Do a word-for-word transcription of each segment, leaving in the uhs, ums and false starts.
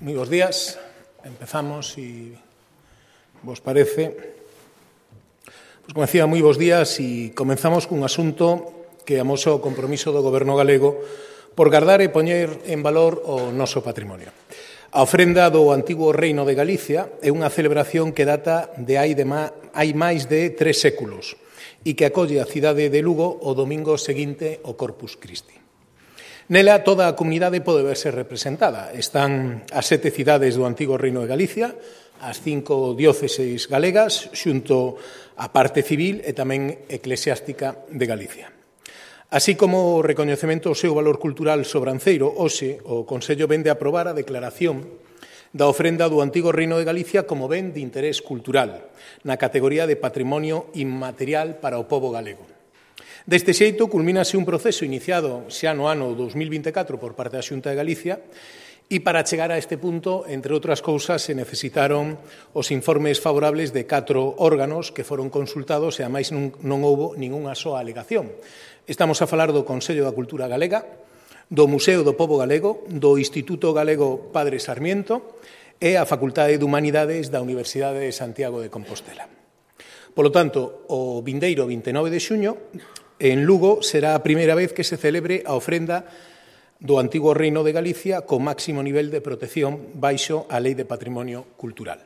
Moi bons días. Empezamos, se vos parece. Pois, como decía, moi bons días e comenzamos cun asunto que amosa o compromiso do Goberno galego por gardar e poñer en valor o noso patrimonio. A ofrenda do antigo Reino de Galicia é unha celebración que data de hai, de ma, hai máis de tres séculos e que acolle a cidade de Lugo o domingo seguinte ao Corpus Christi. Nela, toda a comunidade pode verse representada. Están as sete cidades do antigo Reino de Galicia, as cinco dióceses galegas, xunto á parte civil e tamén eclesiástica de Galicia. Así como o recoñecemento ao seu valor cultural sobranceiro, hoxe o Consello vende a aprobar a declaración da ofrenda do antigo Reino de Galicia como ben de interés cultural, na categoría de patrimonio inmaterial para o pobo galego. Deste xeito, culmínase un proceso iniciado xa no ano dos mil vinte e catro por parte da Xunta de Galicia e para chegar a este punto, entre outras cousas, se necesitaron os informes favorables de catro órganos que foron consultados e, a máis, non, non houbo ningunha soa alegación. Estamos a falar do Consello da Cultura Galega, do Museo do Pobo Galego, do Instituto Galego Padre Sarmiento e a Facultade de Humanidades da Universidade de Santiago de Compostela. Polo tanto, o vindeiro vinte e nove de xuño, en Lugo, será a primeira vez que se celebre a ofrenda do antigo Reino de Galicia co máximo nivel de protección baixo a Lei de Patrimonio Cultural.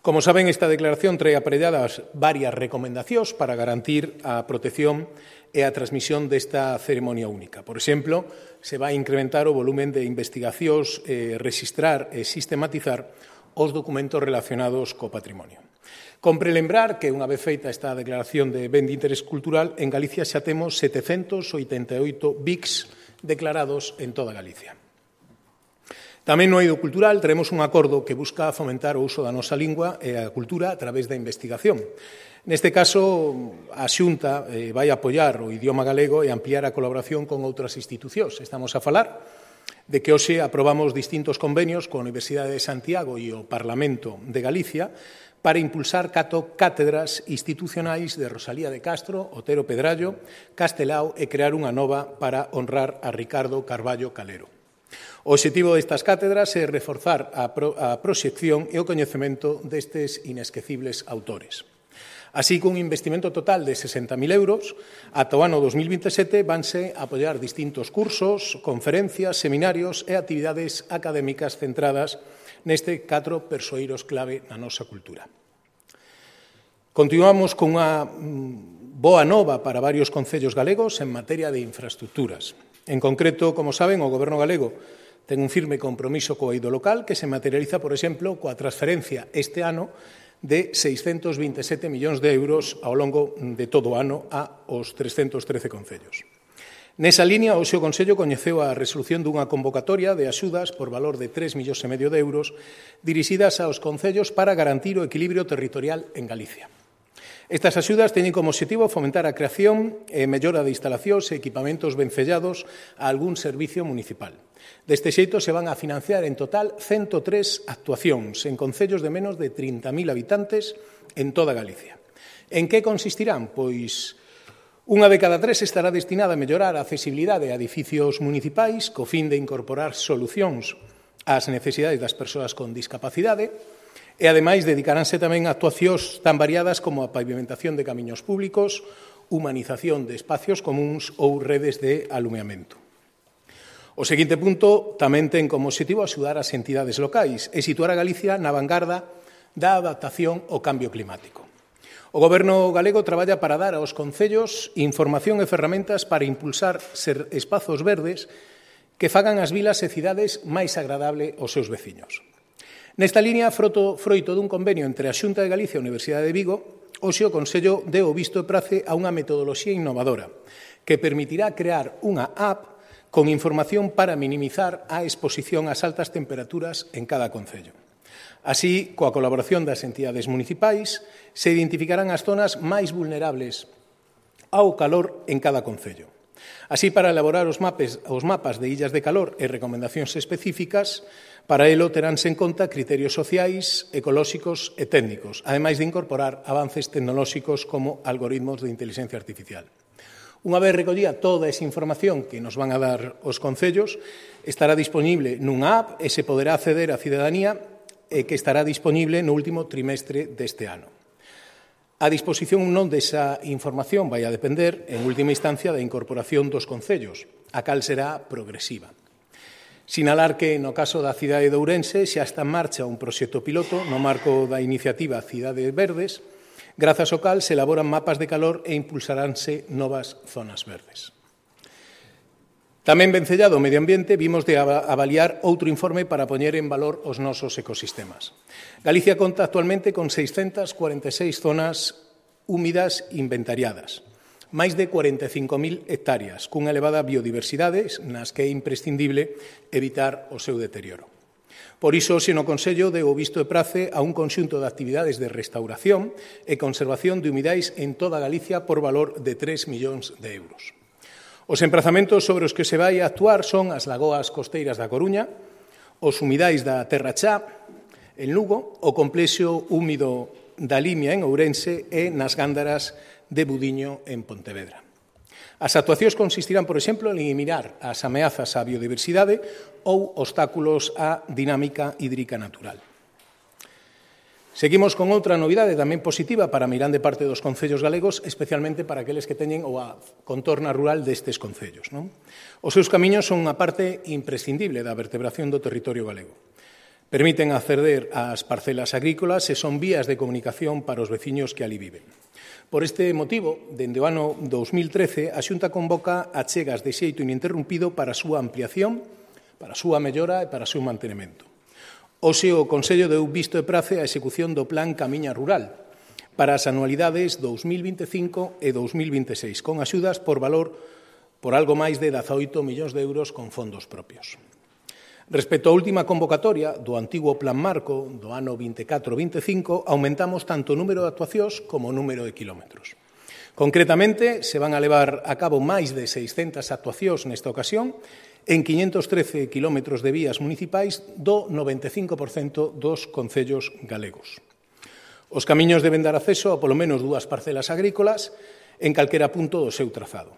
Como saben, esta declaración trae aparelladas varias recomendacións para garantir a protección e a transmisión desta ceremonia única. Por exemplo, se vai incrementar o volumen de investigacións, eh, registrar e sistematizar os documentos relacionados co patrimonio. Compre lembrar que, unha vez feita esta declaración de ben de interés cultural, en Galicia xa temos setecentos oitenta e oito B I Cs declarados en toda Galicia. Tamén no eido cultural teremos un acordo que busca fomentar o uso da nosa lingua e a cultura a través da investigación. Neste caso, a Xunta eh, vai apoiar o idioma galego e ampliar a colaboración con outras institucións. Estamos a falar de que hoxe aprobamos distintos convenios coa Universidade de Santiago e o Parlamento de Galicia para impulsar cato cátedras institucionais de Rosalía de Castro, Otero Pedrallo, Castelao e crear unha nova para honrar a Ricardo Carballo Calero. O obxectivo destas cátedras é reforzar a, pro, a proxección e o coñecemento destes inesquecibles autores. Así que un investimento total de sesenta mil euros, ata o ano dos mil vinte e sete vanse a apoiar distintos cursos, conferencias, seminarios e actividades académicas centradas neste catro persoeiros clave na nosa cultura. Continuamos con unha boa nova para varios concellos galegos en materia de infraestructuras. En concreto, como saben, o Goberno galego ten un firme compromiso co eido local que se materializa, por exemplo, coa transferencia este ano de seiscentos vinte e sete millóns de euros ao longo de todo o ano aos trescentos trece concellos. Nesa línea, hoxe o Consello coñeceu a resolución dunha convocatoria de axudas por valor de tres millóns e medio de euros dirixidas aos concellos para garantir o equilibrio territorial en Galicia. Estas axudas teñen como obxectivo fomentar a creación e mellora de instalacións e equipamentos vencellados a algún servicio municipal. Deste xeito se van a financiar en total ciento tres actuacións en concellos de menos de trinta mil habitantes en toda Galicia. En que consistirán? Pois unha de cada tres estará destinada a mellorar a accesibilidade a edificios municipais co fin de incorporar solucións ás necesidades das persoas con discapacidade e, ademais, dedicaránse tamén a actuacións tan variadas como a pavimentación de camiños públicos, humanización de espacios comuns ou redes de alumeamento. O seguinte punto tamén ten como obxectivo axudar as entidades locais e situar a Galicia na vanguarda da adaptación ao cambio climático. O Goberno galego traballa para dar aos concellos información e ferramentas para impulsar ser espazos verdes que fagan as vilas e cidades máis agradable aos seus veciños. Nesta línea, froito, froito dun convenio entre a Xunta de Galicia e a Universidade de Vigo, hoxe o Consello deu o visto e prace a unha metodoloxía innovadora que permitirá crear unha app con información para minimizar a exposición ás altas temperaturas en cada concello. Así, coa colaboración das entidades municipais, se identificarán as zonas máis vulnerables ao calor en cada concello. Así, para elaborar os, mapes, os mapas de illas de calor e recomendacións específicas, para elo teránse en conta criterios sociais, ecolóxicos e técnicos, ademais de incorporar avances tecnolóxicos como algoritmos de inteligencia artificial. Unha vez recollida toda esa información que nos van a dar os concellos, estará disponible nunha app e se poderá acceder á cidadanía e que estará disponible no último trimestre deste ano. A disposición non desa información vai a depender, en última instancia, da incorporación dos concellos, a cal será progresiva. Sinalar que, no caso da cidade de Ourense, xa está en marcha un proxecto piloto no marco da iniciativa Cidades Verdes, grazas ao cal se elaboran mapas de calor e impulsaránse novas zonas verdes. Tamén vencellado o medio ambiente, vimos de avaliar outro informe para poñer en valor os nosos ecosistemas. Galicia conta actualmente con seiscentas cuarenta e seis zonas húmidas inventariadas, máis de cuarenta e cinco mil hectáreas, cunha elevada biodiversidade nas que é imprescindible evitar o seu deterioro. Por iso, se no Consello deu o visto e prace a un conxunto de actividades de restauración e conservación de humidais en toda Galicia por valor de tres millóns de euros. Os emprazamentos sobre os que se vai a actuar son as lagoas costeiras da Coruña, os humidais da Terra Chá, en Lugo, o complexo húmido da Limia en Ourense e nas Gándaras de Budiño en Pontevedra. As actuacións consistirán, por exemplo, en eliminar as ameazas á biodiversidade ou obstáculos á dinámica hídrica natural. Seguimos con outra novidade tamén positiva para a meirande parte dos concellos galegos, especialmente para aqueles que teñen o a contorna rural destes concellos. Non? Os seus camiños son unha parte imprescindible da vertebración do territorio galego. Permiten acceder ás parcelas agrícolas e son vías de comunicación para os veciños que ali viven. Por este motivo, dende o ano dos mil trece, a Xunta convoca achegas de xeito ininterrumpido para a súa ampliación, para a súa mellora e para o seu mantenimento. Hoxe o Consello deu visto e prace á execución do Plan Camiña Rural para as anualidades dos mil vinte e cinco e dos mil vinte e seis, con axudas por valor por algo máis de dezaoito millóns de euros con fondos propios. Respecto á última convocatoria do antigo Plan Marco do ano vinte e catro vinte e cinco, aumentamos tanto o número de actuacións como o número de kilómetros. Concretamente, se van a levar a cabo máis de seiscentas actuacións nesta ocasión en quinhentos trece kilómetros de vías municipais do noventa e cinco por cento dos concellos galegos. Os camiños deben dar acceso a polo menos dúas parcelas agrícolas en calquera punto do seu trazado.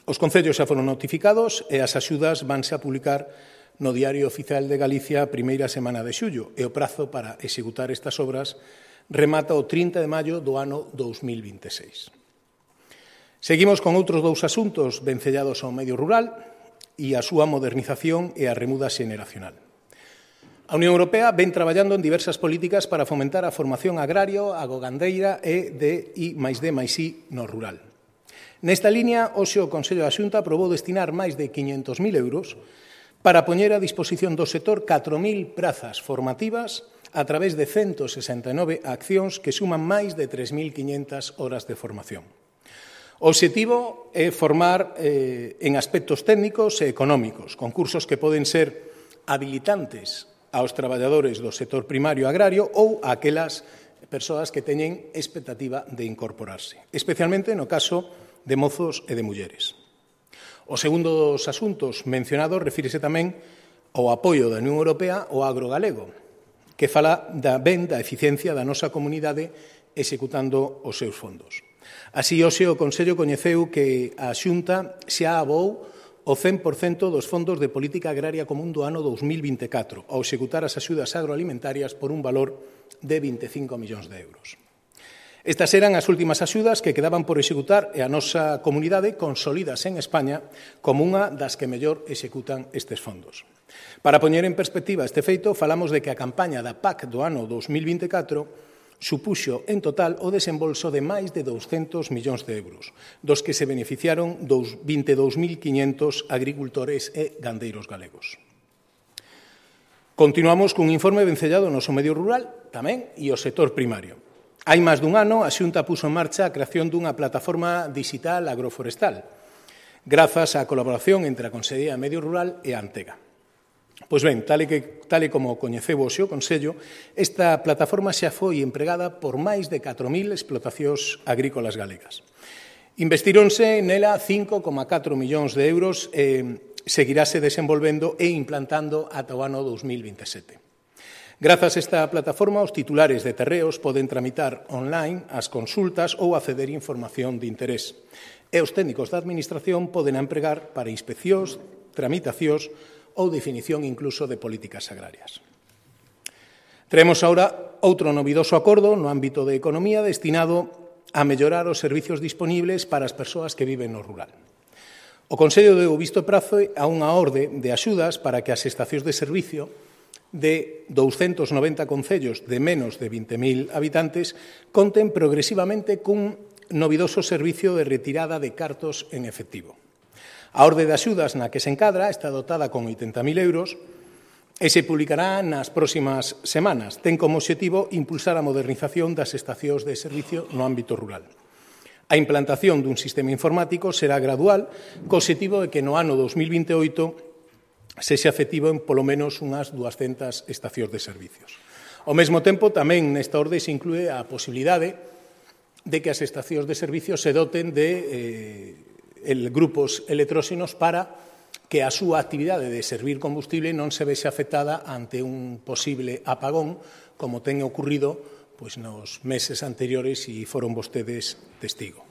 Os concellos xa foron notificados e as axudas vanse a publicar no Diario Oficial de Galicia a primeira semana de xullo e o prazo para executar estas obras remata o trinta de maio do ano dos mil vinte e seis. Seguimos con outros dous asuntos vencellados ao medio rural e a súa modernización e a remuda xeneracional. A Unión Europea ven traballando en diversas políticas para fomentar a formación agrario, agogandeira e de I máis D máis I no rural. Nesta línea, hoxe o Consello da Xunta aprobou destinar máis de quinhentos mil euros para poñer a disposición do sector catro mil prazas formativas a través de ciento sesenta e nove accións que suman máis de tres mil quinhentas horas de formación. O obxectivo é formar eh, en aspectos técnicos e económicos, con cursos que poden ser habilitantes aos traballadores do sector primario agrario ou a aquelas persoas que teñen expectativa de incorporarse, especialmente no caso de mozos e de mulleres. O segundo dos asuntos mencionados refírese tamén ao apoio da Unión Europea ao agro galego, que fala da ben da eficiencia da nosa comunidade executando os seus fondos. Así, hoxe o Consello coñeceu que a Xunta xa abou o cen por cento dos fondos de política agraria común do ano dos mil vinte e catro ao executar as axudas agroalimentarias por un valor de vinte e cinco millóns de euros. Estas eran as últimas axudas que quedaban por executar e a nosa comunidade consolidas en España como unha das que mellor executan estes fondos. Para poñer en perspectiva este feito, falamos de que a campaña da P A C do ano dos mil vinte e catro supuxo en total o desembolso de máis de douscentos millóns de euros, dos que se beneficiaron dos vinte e dous mil quinhentos agricultores e gandeiros galegos. Continuamos cun informe vencellado no noso medio rural tamén e o sector primario. Hai máis dun ano, a Xunta puxo en marcha a creación dunha plataforma digital agroforestal, grazas á colaboración entre a Consellería de Medio Rural e a Antega. Pois ben, tal e, que, tal e como coñeceu hoxe o Consello, esta plataforma xa foi empregada por máis de catro mil explotacións agrícolas galegas. Investíronse nela cinco coma catro millóns de euros e seguirase desenvolvendo e implantando ata o ano dos mil vinte e sete. Grazas a esta plataforma, os titulares de terreos poden tramitar online as consultas ou acceder a información de interés. e os técnicos da Administración poden empregar para inspeccións, tramitacións ou definición incluso de políticas agrarias. Traemos agora outro novidoso acordo no ámbito de economía destinado a mellorar os servizos disponíveis para as persoas que viven no rural. O Consello deu visto prazo a unha orde de axudas para que as estacións de servicio de douscentos noventa concellos de menos de vinte mil habitantes conten progresivamente cun novidoso servicio de retirada de cartos en efectivo. A orde de axudas na que se encadra está dotada con oitenta mil euros e se publicará nas próximas semanas. Ten como obxectivo impulsar a modernización das estacións de servicio no ámbito rural. A implantación dun sistema informático será gradual, co obxectivo de que no ano dos mil vinte e oito sexa efectivo en polo menos unhas duascentas estacións de servicios. Ao mesmo tempo, tamén nesta orde se inclúe a posibilidade de que as estacións de servicios se doten de eh, el, grupos electróxenos para que a súa actividade de servir combustible non se vexe afectada ante un posible apagón, como ten ocorrido pois nos meses anteriores e foron vostedes testigo.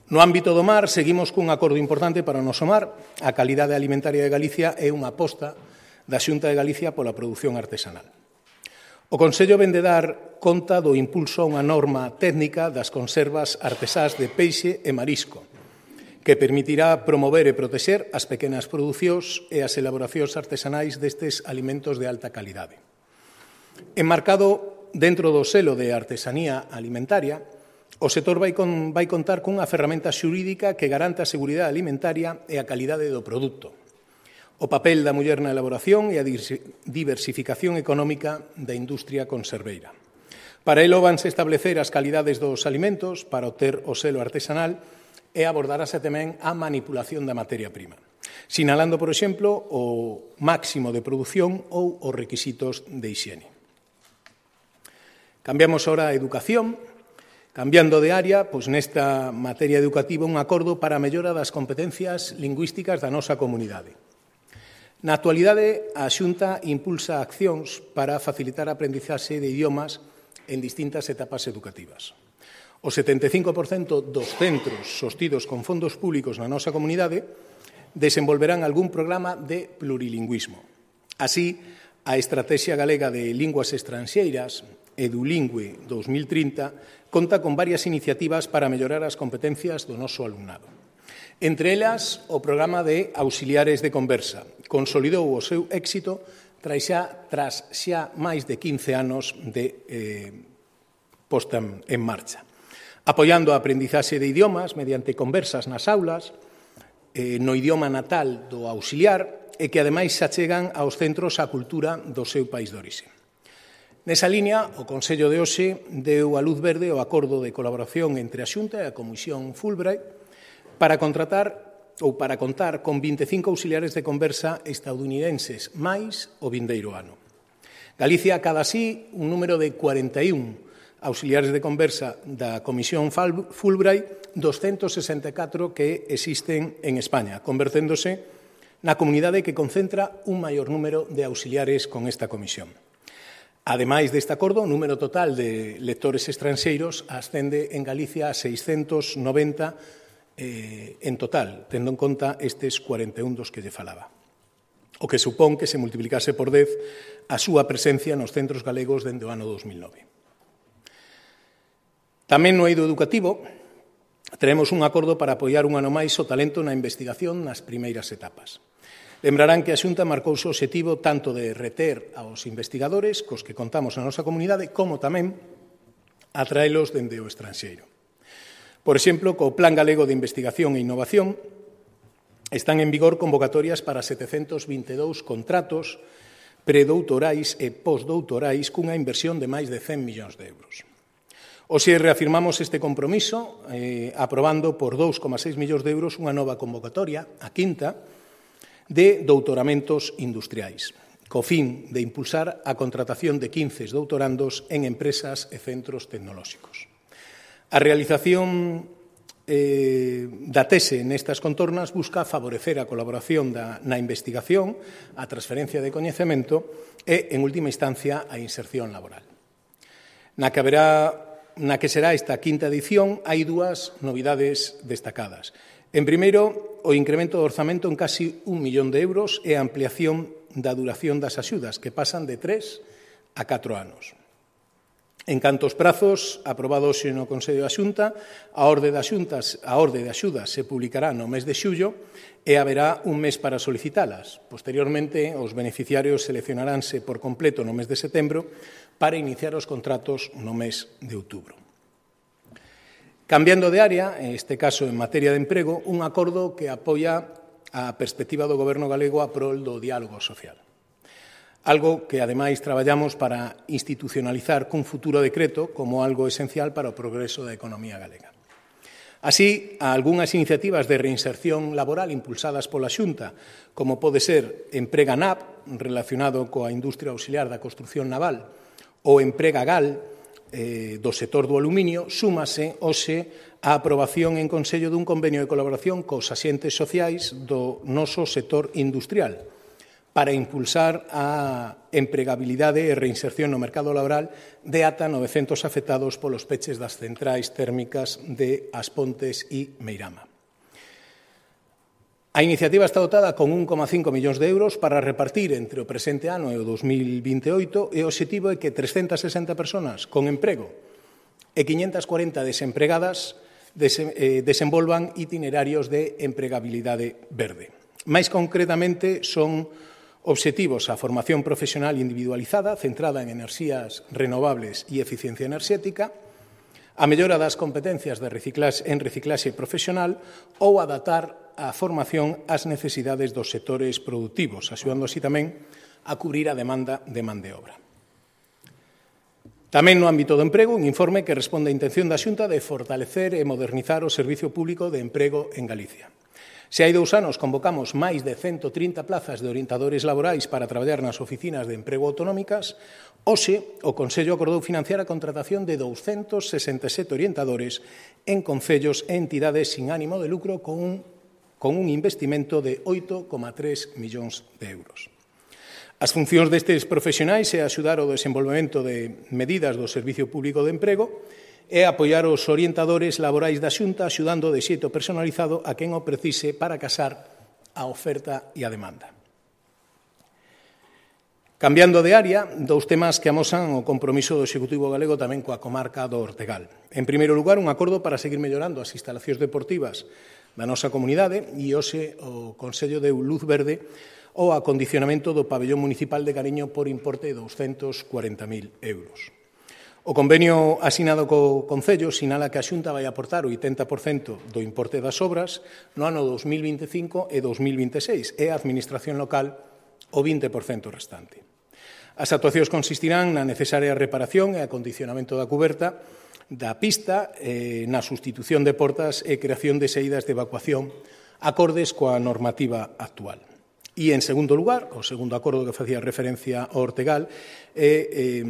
No ámbito do mar, seguimos cun acordo importante para o noso mar. A calidade alimentaria de Galicia é unha aposta da Xunta de Galicia pola produción artesanal. O Consello vén de dar conta do impulso a unha norma técnica das conservas artesás de peixe e marisco, que permitirá promover e protexer as pequenas producións e as elaboracións artesanais destes alimentos de alta calidade. Enmarcado dentro do selo de artesanía alimentaria, o sector vai, con, vai contar cunha ferramenta xurídica que garanta a seguridade alimentaria e a calidade do produto, o papel da muller na elaboración e a diversificación económica da industria conserveira. Para elo vanse establecer as calidades dos alimentos para obter o selo artesanal e abordarase tamén a manipulación da materia prima, sinalando, por exemplo, o máximo de produción ou os requisitos de hixiene. Cambiamos ahora a educación. Cambiando de área, pois nesta materia educativa un acordo para a mellora das competencias lingüísticas da nosa comunidade. Na actualidade, a Xunta impulsa accións para facilitar a aprendizaxe de idiomas en distintas etapas educativas. O setenta e cinco por cento dos centros sostidos con fondos públicos na nosa comunidade desenvolverán algún programa de plurilingüismo. Así, a Estrategia Galega de Linguas Estranxeiras, Edulingüe dos mil trinta, conta con varias iniciativas para mellorar as competencias do noso alumnado. Entre elas, o programa de auxiliares de conversa consolidou o seu éxito tras xa, tras xa máis de quince anos de eh, posta en marcha, apoiando a aprendizaxe de idiomas mediante conversas nas aulas, eh, no idioma natal do auxiliar, e que ademais se achegan aos centros a cultura do seu país de orixe. Nesa liña, o Consello de hoxe deu a luz verde ao acordo de colaboración entre a Xunta e a Comisión Fulbright para contratar ou para contar con vinte e cinco auxiliares de conversa estadounidenses máis o vindeiro ano. Galicia acada así un número de cuarenta e un auxiliares de conversa da Comisión Fulbright, doscientos sesenta e catro que existen en España, converténdose na comunidade que concentra un maior número de auxiliares con esta comisión. Ademais deste acordo, o número total de lectores estranxeiros ascende en Galicia a seiscentos noventa eh, en total, tendo en conta estes cuarenta e un dos que lle falaba, o que supón que se multiplicase por dez a súa presencia nos centros galegos dende o ano dos mil nove. Tamén no eido educativo, teremos un acordo para apoiar un ano máis o talento na investigación nas primeiras etapas. Lembrarán que a Xunta marcouse o obxectivo tanto de reter aos investigadores cos que contamos na nosa comunidade, como tamén atraelos dende o estranxeiro. Por exemplo, co Plan Galego de Investigación e Innovación están en vigor convocatorias para setecentos vinte e dous contratos predoutorais e postdoutorais cunha inversión de máis de cen millóns de euros. Hoxe reafirmamos este compromiso eh, aprobando por dous coma seis millóns de euros unha nova convocatoria, a quinta, de doutoramentos industriais, co fin de impulsar a contratación de quince doutorandos en empresas e centros tecnolóxicos. A realización eh, da tese nestas contornas busca favorecer a colaboración da, na investigación, a transferencia de coñecemento e, en última instancia, a inserción laboral. Na que haberá na que será esta quinta edición hai dúas novidades destacadas. En primeiro, o incremento do orzamento en casi un millón de euros e a ampliación da duración das axudas, que pasan de tres a catro anos. En canto aos prazos aprobados no Consello da Xunta, a orde de axuntas, a orde de axudas se publicará no mes de xullo e haberá un mes para solicitalas. Posteriormente, os beneficiarios seleccionaránse por completo no mes de setembro para iniciar os contratos no mes de outubro. Cambiando de área, en este caso en materia de emprego, un acordo que apoia a perspectiva do Goberno galego a prol do diálogo social. Algo que, ademais, traballamos para institucionalizar cun futuro decreto como algo esencial para o progreso da economía galega. Así, a algunhas iniciativas de reinserción laboral impulsadas pola Xunta, como pode ser Emprega N A P, relacionado coa industria auxiliar da construción naval, ou Emprega Gal, eh, do sector do aluminio, súmase hoxe a aprobación en Consello dun convenio de colaboración cos axentes sociais do noso sector industrial, para impulsar a empregabilidade e reinserción no mercado laboral de ata novecentos afectados polos peches das centrais térmicas de As Pontes e Meirama. A iniciativa está dotada con un coma cinco millóns de euros para repartir entre o presente ano e o dos mil vinte e oito e o obxectivo é que trescentas sesenta persoas con emprego e quinhentas cuarenta desempregadas desenvolvan itinerarios de empregabilidade verde. Mais concretamente, son obxectivos a formación profesional individualizada, centrada en enerxías renovables e eficiencia enerxética, a mellora das competencias de reciclaxe, en reciclaxe profesional ou adaptar a formación ás necesidades dos sectores produtivos, axudando así tamén a cubrir a demanda de man de obra. Tamén no ámbito do emprego, un informe que responde á intención da Xunta de fortalecer e modernizar o Servicio Público de Emprego en Galicia. Se hai dous anos convocamos máis de ciento trinta plazas de orientadores laborais para traballar nas oficinas de emprego autonómicas, hoxe o Consello acordou financiar a contratación de douscentos sesenta e sete orientadores en concellos e entidades sin ánimo de lucro con un, con un investimento de oito coma tres millóns de euros. As funcións destes profesionais é axudar ao desenvolvemento de medidas do Servicio Público de Emprego e apoiar os orientadores laborais da Xunta axudando de xeito personalizado a quen o precise para casar a oferta e a demanda. Cambiando de área, dous temas que amosan o compromiso do Executivo galego tamén coa comarca do Ortegal. En primeiro lugar, un acordo para seguir mellorando as instalacións deportivas da nosa comunidade e hoxe o Consello deu luz verde ao acondicionamento do pabellón municipal de Cariño por importe de douscentos cuarenta mil euros. O convenio asinado co Concello sinala que a Xunta vai aportar o oitenta por cento do importe das obras no ano dos mil vinte e cinco e dos mil vinte e seis e a Administración local o vinte por cento restante. As actuacións consistirán na necesaria reparación e acondicionamento da cuberta da pista, eh, na sustitución de portas e creación de saídas de evacuación acordes coa normativa actual. E, en segundo lugar, o segundo acordo que facía referencia ao Ortegal é, eh,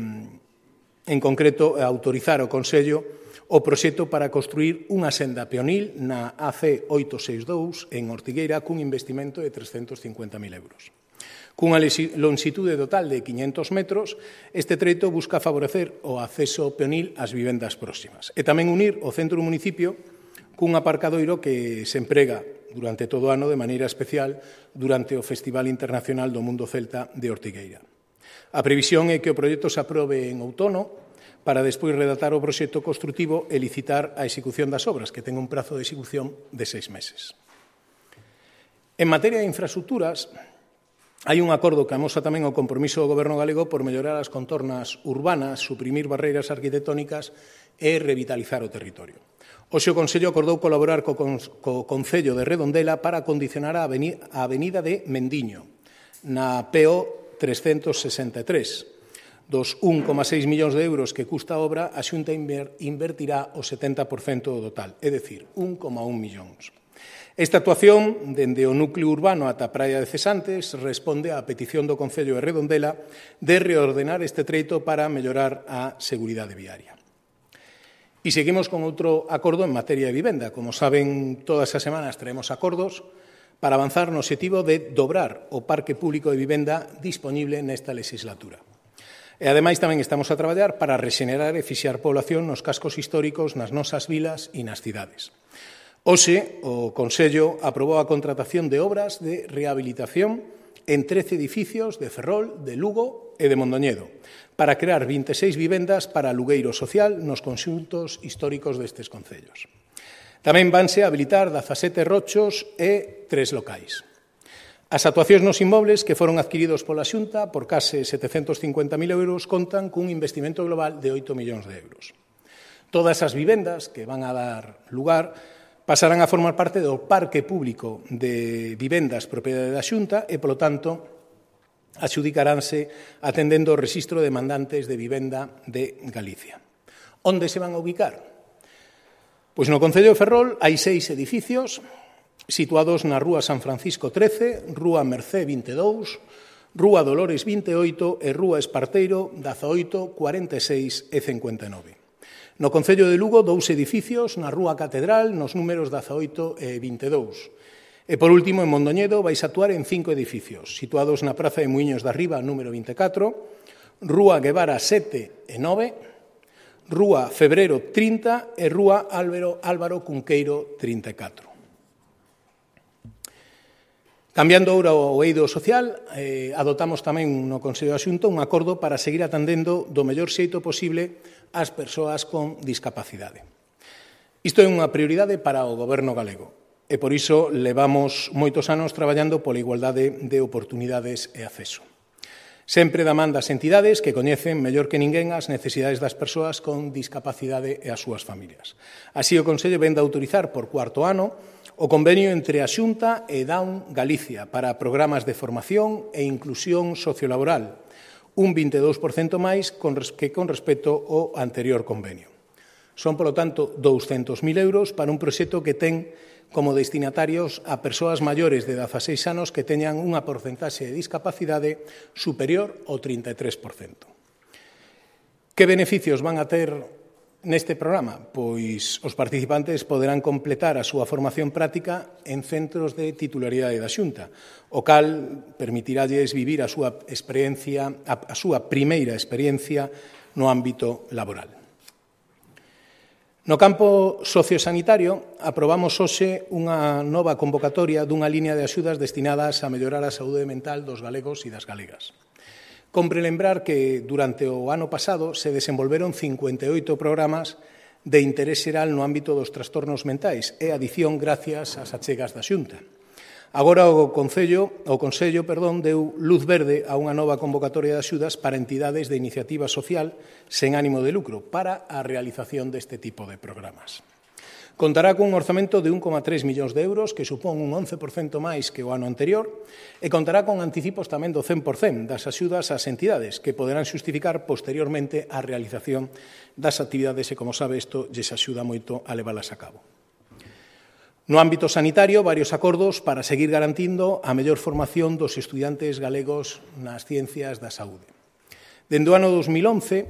en concreto, autorizar ao Consello o proxecto para construir unha senda peonil na A C oitocentos sesenta e dous en Ortigueira cun investimento de trescentos cincuenta mil euros. Cunha longitude total de quinhentos metros, este treito busca favorecer o acceso peonil ás vivendas próximas e tamén unir o centro do municipio cun aparcadoiro que se emprega durante todo o ano de maneira especial durante o Festival Internacional do Mundo Celta de Ortigueira. A previsión é que o proxecto se aprobe en outono para despois redactar o proxecto construtivo e licitar a execución das obras, que ten un prazo de execución de seis meses. En materia de infraestructuras, hai un acordo que amosa tamén o compromiso do Goberno galego por mellorar as contornas urbanas, suprimir barreiras arquitectónicas e revitalizar o territorio. Hoxe o Consello acordou colaborar co, co Concello de Redondela para acondicionar a avenida de Mendiño, na P O trescentos sesenta e tres. Dos un coma seis millóns de euros que custa a obra, a Xunta invertirá o setenta por cento do total, é dicir, un coma un millóns. Esta actuación, dende o núcleo urbano ata a Praia de Cesantes, responde á petición do Concello de Redondela de reordenar este treito para mellorar a seguridade viaria. E seguimos con outro acordo en materia de vivenda. Como saben, todas as semanas traemos acordos para avanzar no obxectivo de dobrar o parque público de vivenda disponible nesta legislatura. E, ademais, tamén estamos a traballar para rexenerar e fixar población nos cascos históricos nas nosas vilas e nas cidades. Hoxe, o Consello aprobou a contratación de obras de rehabilitación en trece edificios de Ferrol, de Lugo e de Mondoñedo, para crear vinte e seis vivendas para alugueiro social nos conxuntos históricos destes concellos. Tamén vanse habilitar dezasete rochos e tres locais. As actuacións nos inmobles que foron adquiridos pola Xunta por case setecentos cincuenta mil euros contan cun investimento global de oito millóns de euros. Todas as vivendas que van a dar lugar pasarán a formar parte do parque público de vivendas propiedade da Xunta e, polo tanto, adxudicaránse atendendo o rexistro de demandantes de vivenda de Galicia. Onde se van a ubicar? Pois no Concello de Ferrol hai seis edificios situados na Rúa San Francisco trece, Rúa Mercé vinte e dous, Rúa Dolores vinte e oito e Rúa Esparteiro dezaoito, cuarenta e seis e cincuenta e nove. No Concello de Lugo, dous edificios na Rúa Catedral nos números dezaoito e vinte e dous. E, por último, en Mondoñedo vais a actuar en cinco edificios, situados na Praza de Muiños da Riba, número vinte e catro, Rúa Guevara sete e nove, Rúa Febrero trinta e Rúa Álvaro, Álvaro Cunqueiro trinta e catro. Cambiando ahora o eido social, eh, adoptamos tamén no Consello da Xunta un acordo para seguir atendendo do mellor xeito posible as persoas con discapacidade. Isto é unha prioridade para o Goberno galego e por iso levamos moitos anos traballando pola igualdade de oportunidades e acceso. Sempre da man das entidades que coñecen mellor que ninguén as necesidades das persoas con discapacidade e as súas familias. Así, o Consello vén de autorizar por cuarto ano o convenio entre a Xunta e Down Galicia para programas de formación e inclusión sociolaboral, un vinte e dous por cento máis que con respecto ao anterior convenio. Son, polo tanto, douscentos mil euros para un proxecto que ten como destinatarios a persoas maiores de dezaseis anos que teñan unha porcentaxe de discapacidade superior ao trinta e tres por cento. Que beneficios van a ter neste programa? Pois os participantes poderán completar a súa formación práctica en centros de titularidade da Xunta, o cal permitiralles vivir a súa experiencia, a súa primeira experiencia no ámbito laboral. No campo sociosanitario, aprobamos hoxe unha nova convocatoria dunha línea de axudas destinadas a mellorar a saúde mental dos galegos e das galegas. Compre lembrar que durante o ano pasado se desenvolveron cincuenta e oito programas de interés xeral no ámbito dos trastornos mentais e adición gracias ás achegas da Xunta. Agora o Concello, o Consello, perdón, deu luz verde a unha nova convocatoria de axudas para entidades de iniciativa social sen ánimo de lucro para a realización deste tipo de programas. Contará cun orzamento de un coma tres millóns de euros, que supón un once por cento máis que o ano anterior, e contará con anticipos tamén do cen por cento das axudas ás entidades, que poderán xustificar posteriormente a realización das actividades e, como sabe, isto lles axuda moito a leválas a cabo. No ámbito sanitario, varios acordos para seguir garantindo a mellor formación dos estudiantes galegos nas ciencias da saúde. Dende o ano dos mil once,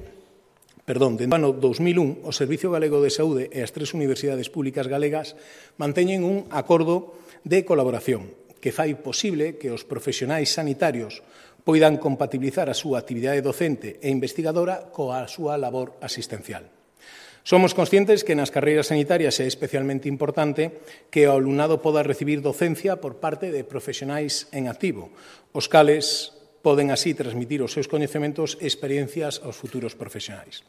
Perdón, dentro do ano dos mil un, o Servicio Galego de Saúde e as tres universidades públicas galegas manteñen un acordo de colaboración que fai posible que os profesionais sanitarios poidan compatibilizar a súa actividade docente e investigadora coa súa labor asistencial. Somos conscientes que nas carreiras sanitarias é especialmente importante que o alumnado poda recibir docencia por parte de profesionais en activo, os cales poden así transmitir os seus coñecementos e experiencias aos futuros profesionais.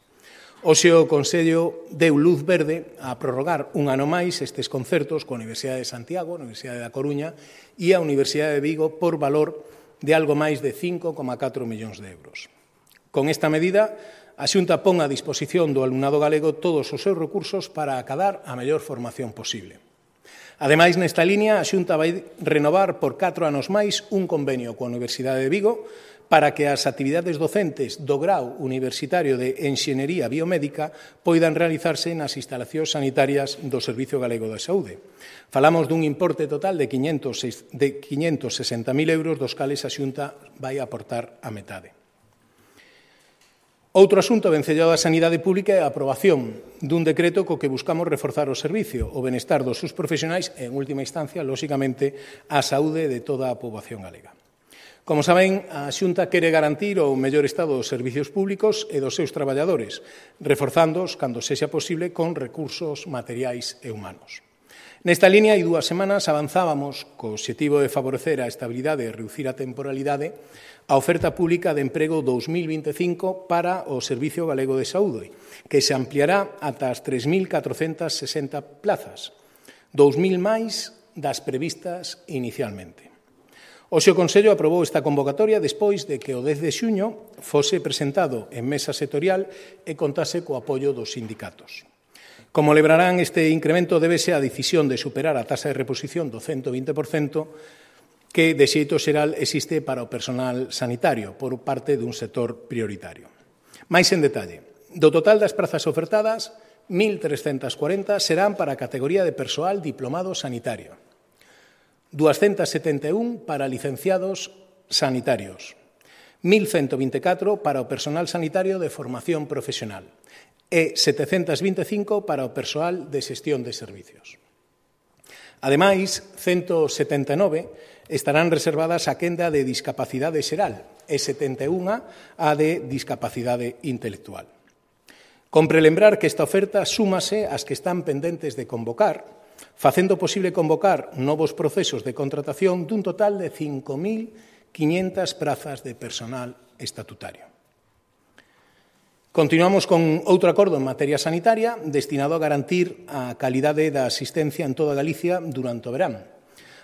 Hoxe o Consello deu luz verde a prorrogar un ano máis estes concertos coa Universidade de Santiago, a Universidade da Coruña e a Universidade de Vigo por valor de algo máis de cinco coma catro millóns de euros. Con esta medida, a Xunta pon a disposición do alumnado galego todos os seus recursos para acadar a mellor formación posible. Ademais, nesta línea, a Xunta vai renovar por catro anos máis un convenio coa Universidade de Vigo para que as actividades docentes do grau universitario de Enxeñería Biomédica poidan realizarse nas instalacións sanitarias do Servicio Galego de Saúde. Falamos dun importe total de quinhentos sesenta mil euros, dos cales a Xunta vai aportar a metade. Outro asunto vencellado á sanidade pública é a aprobación dun decreto co que buscamos reforzar o servicio, o benestar dos seus profesionais e, en última instancia, lóxicamente, a saúde de toda a poboación galega. Como saben, a Xunta quere garantir o mellor estado dos servicios públicos e dos seus traballadores, reforzándoos, cando sexa posible, con recursos materiais e humanos. Nesta línea, hai dúas semanas, avanzábamos co obxectivo de favorecer a estabilidade e reducir a temporalidade a oferta pública de emprego dous mil vinte e cinco para o Servicio Galego de Saúde, que se ampliará ata as tres mil catrocentas sesenta plazas, dous mil máis das previstas inicialmente. Hoxe o Consello aprobou esta convocatoria despois de que o dez de xuño fose presentado en mesa sectorial e contase co apoio dos sindicatos. Como lembrarán, este incremento débese á decisión de superar a taxa de reposición do cento vinte por cento que, de xeito xeral, existe para o personal sanitario por parte dun sector prioritario. Mais en detalle, do total das prazas ofertadas, mil trescentas corenta serán para a categoría de persoal diplomado sanitario, doscientos setenta e un para licenciados sanitarios, mil ciento vinte e catro para o personal sanitario de formación profesional e setecentos vinte e cinco para o persoal de xestión de servicios. Ademais, ciento setenta e nove estarán reservadas a quenda de discapacidade xeral e setenta e un a de discapacidade intelectual. Compre lembrar que esta oferta súmase ás que están pendentes de convocar, facendo posible convocar novos procesos de contratación dun total de cinco mil quinhentas prazas de personal estatutario. Continuamos con outro acordo en materia sanitaria destinado a garantir a calidade da asistencia en toda Galicia durante o verán,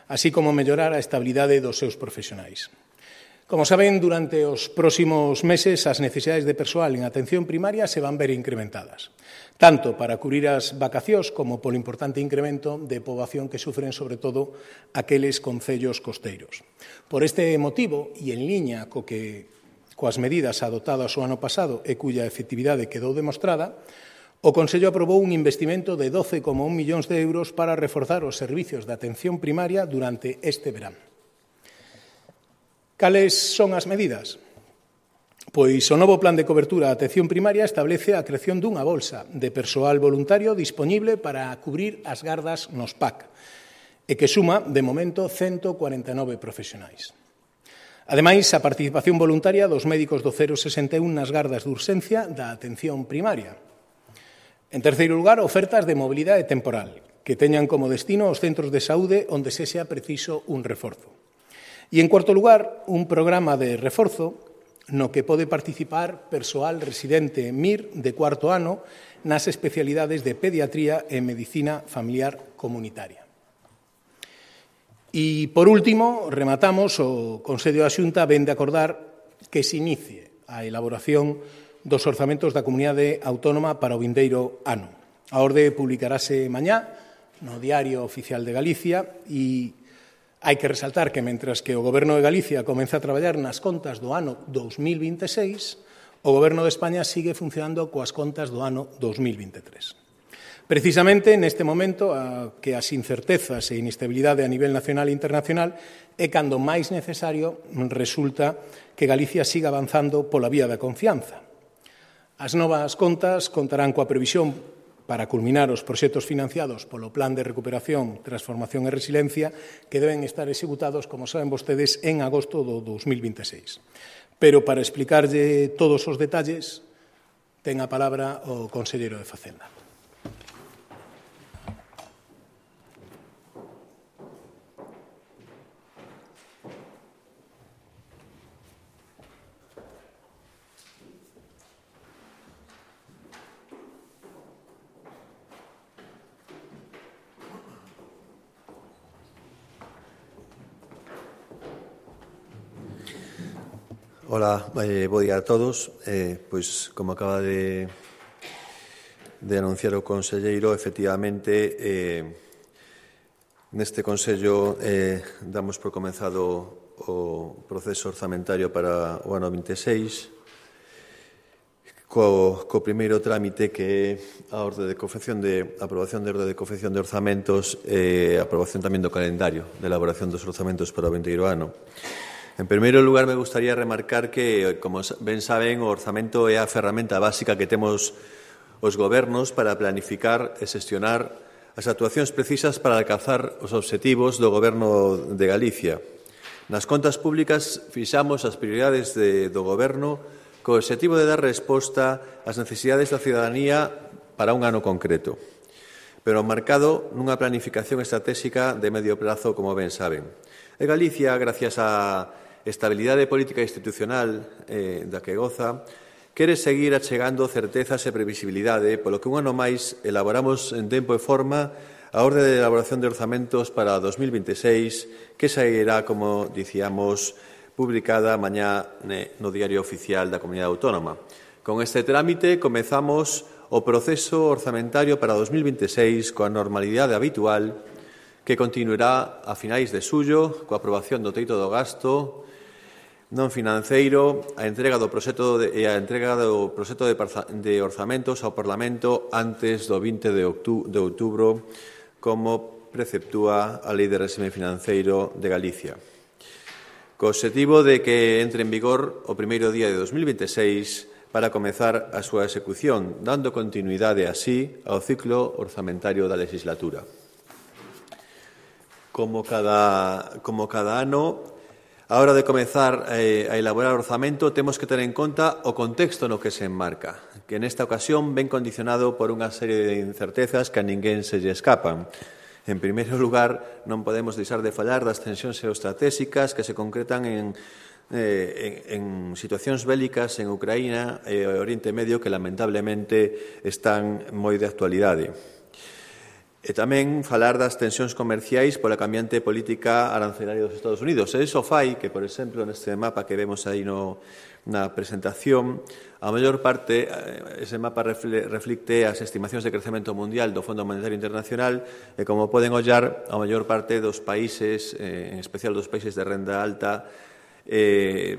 así como mellorar a estabilidade dos seus profesionais. Como saben, durante os próximos meses as necesidades de persoal en atención primaria se van ver incrementadas, tanto para cubrir as vacacións como polo importante incremento de poboación que sufren, sobre todo, aqueles concellos costeiros. Por este motivo, e en liña co que, coas medidas adoptadas o ano pasado e cuya efectividade quedou demostrada, o Consello aprobou un investimento de doce coma un millóns de euros para reforzar os servicios de atención primaria durante este verán. Cales son as medidas? Pois o novo plan de cobertura da atención primaria establece a creación dunha bolsa de persoal voluntario dispoñible para cubrir as gardas nos P A C e que suma, de momento, ciento cuarenta e nove profesionais. Ademais, a participación voluntaria dos médicos do cero sesenta e un nas gardas de urxencia da atención primaria. En terceiro lugar, ofertas de mobilidade temporal, que teñan como destino os centros de saúde onde se sea preciso un reforzo. E, en cuarto lugar, un programa de reforzo no que pode participar persoal residente M I R de cuarto ano nas especialidades de pediatría e medicina familiar comunitaria. E, por último, rematamos, o Consello da Xunta vén de acordar que se inicie a elaboración dos orzamentos da Comunidade Autónoma para o vindeiro ano. A orde publicarase mañá no Diario Oficial de Galicia e hai que resaltar que, mentras que o Goberno de Galicia comeza a traballar nas contas do ano dous mil vinte e seis, o Goberno de España sigue funcionando coas contas do ano dous mil vinte e tres. Precisamente neste momento a que as incertezas e inestabilidade a nivel nacional e internacional é cando máis necesario resulta que Galicia siga avanzando pola vía da confianza. As novas contas contarán coa previsión para culminar os proxectos financiados polo Plan de Recuperación, Transformación e Resiliencia que deben estar executados, como saben vostedes, en agosto do dous mil vinte e seis. Pero para explicarlle todos os detalles, ten a palabra o conselleiro de Facenda. Ola, eh, bo día a todos. Eh, pois, como acaba de, de anunciar o conselleiro, efectivamente, eh, neste Consello eh, damos por comenzado o proceso orzamentario para o ano vinte e seis, co, co primeiro trámite que é a orde de confección de aprobación de orde de confección de orzamentos e eh, aprobación tamén do calendario de elaboración dos orzamentos para o vindeiro ano. En primeiro lugar, me gustaría remarcar que, como ben saben, o orzamento é a ferramenta básica que temos os gobernos para planificar e xestionar as actuacións precisas para alcanzar os obxectivos do Goberno de Galicia. Nas contas públicas fixamos as prioridades de, do Goberno co obxectivo de dar resposta ás necesidades da cidadanía para un ano concreto, pero marcado nunha planificación estratégica de medio prazo, como ben saben. E Galicia, gracias á estabilidade política e institucional eh, da que goza, quere seguir achegando certezas e previsibilidade, polo que un ano máis elaboramos en tempo e forma a orde de elaboración de orzamentos para dos mil veintiséis, que sairá, como dicíamos, publicada mañá no Diario Oficial da Comunidade Autónoma. Con este trámite comezamos o proceso orzamentario para dos mil veintiséis coa normalidade habitual, que continuará a finais de xullo coa aprobación do teito do gasto non financeiro, a entrega do proxecto de, e a entrega do proxecto de, de orzamentos ao Parlamento antes do vinte de outubro, como preceptúa a Lei de Réxime Financeiro de Galicia, co obxectivo de que entre en vigor o primeiro día de dos mil veintiséis para comezar a súa execución, dando continuidade así ao ciclo orzamentario da legislatura. Como cada, como cada ano, a hora de comezar eh, a elaborar o orzamento, temos que ter en conta o contexto no que se enmarca, que nesta ocasión ven condicionado por unha serie de incertezas que a ninguén se lle escapan. En primeiro lugar, non podemos deixar de falar das tensións geoestratégicas que se concretan en, eh, en, en situacións bélicas en Ucraína e o Oriente Medio que, lamentablemente, están moi de actualidade. E tamén falar das tensións comerciais pola cambiante política arancelaria dos Estados Unidos. E iso fai que, por exemplo, neste mapa que vemos aí no, na presentación, a maior parte, ese mapa reflicte as estimacións de crecemento mundial do Fondo Monetario Internacional e, como poden ollar, a maior parte dos países, eh, en especial dos países de renda alta, eh,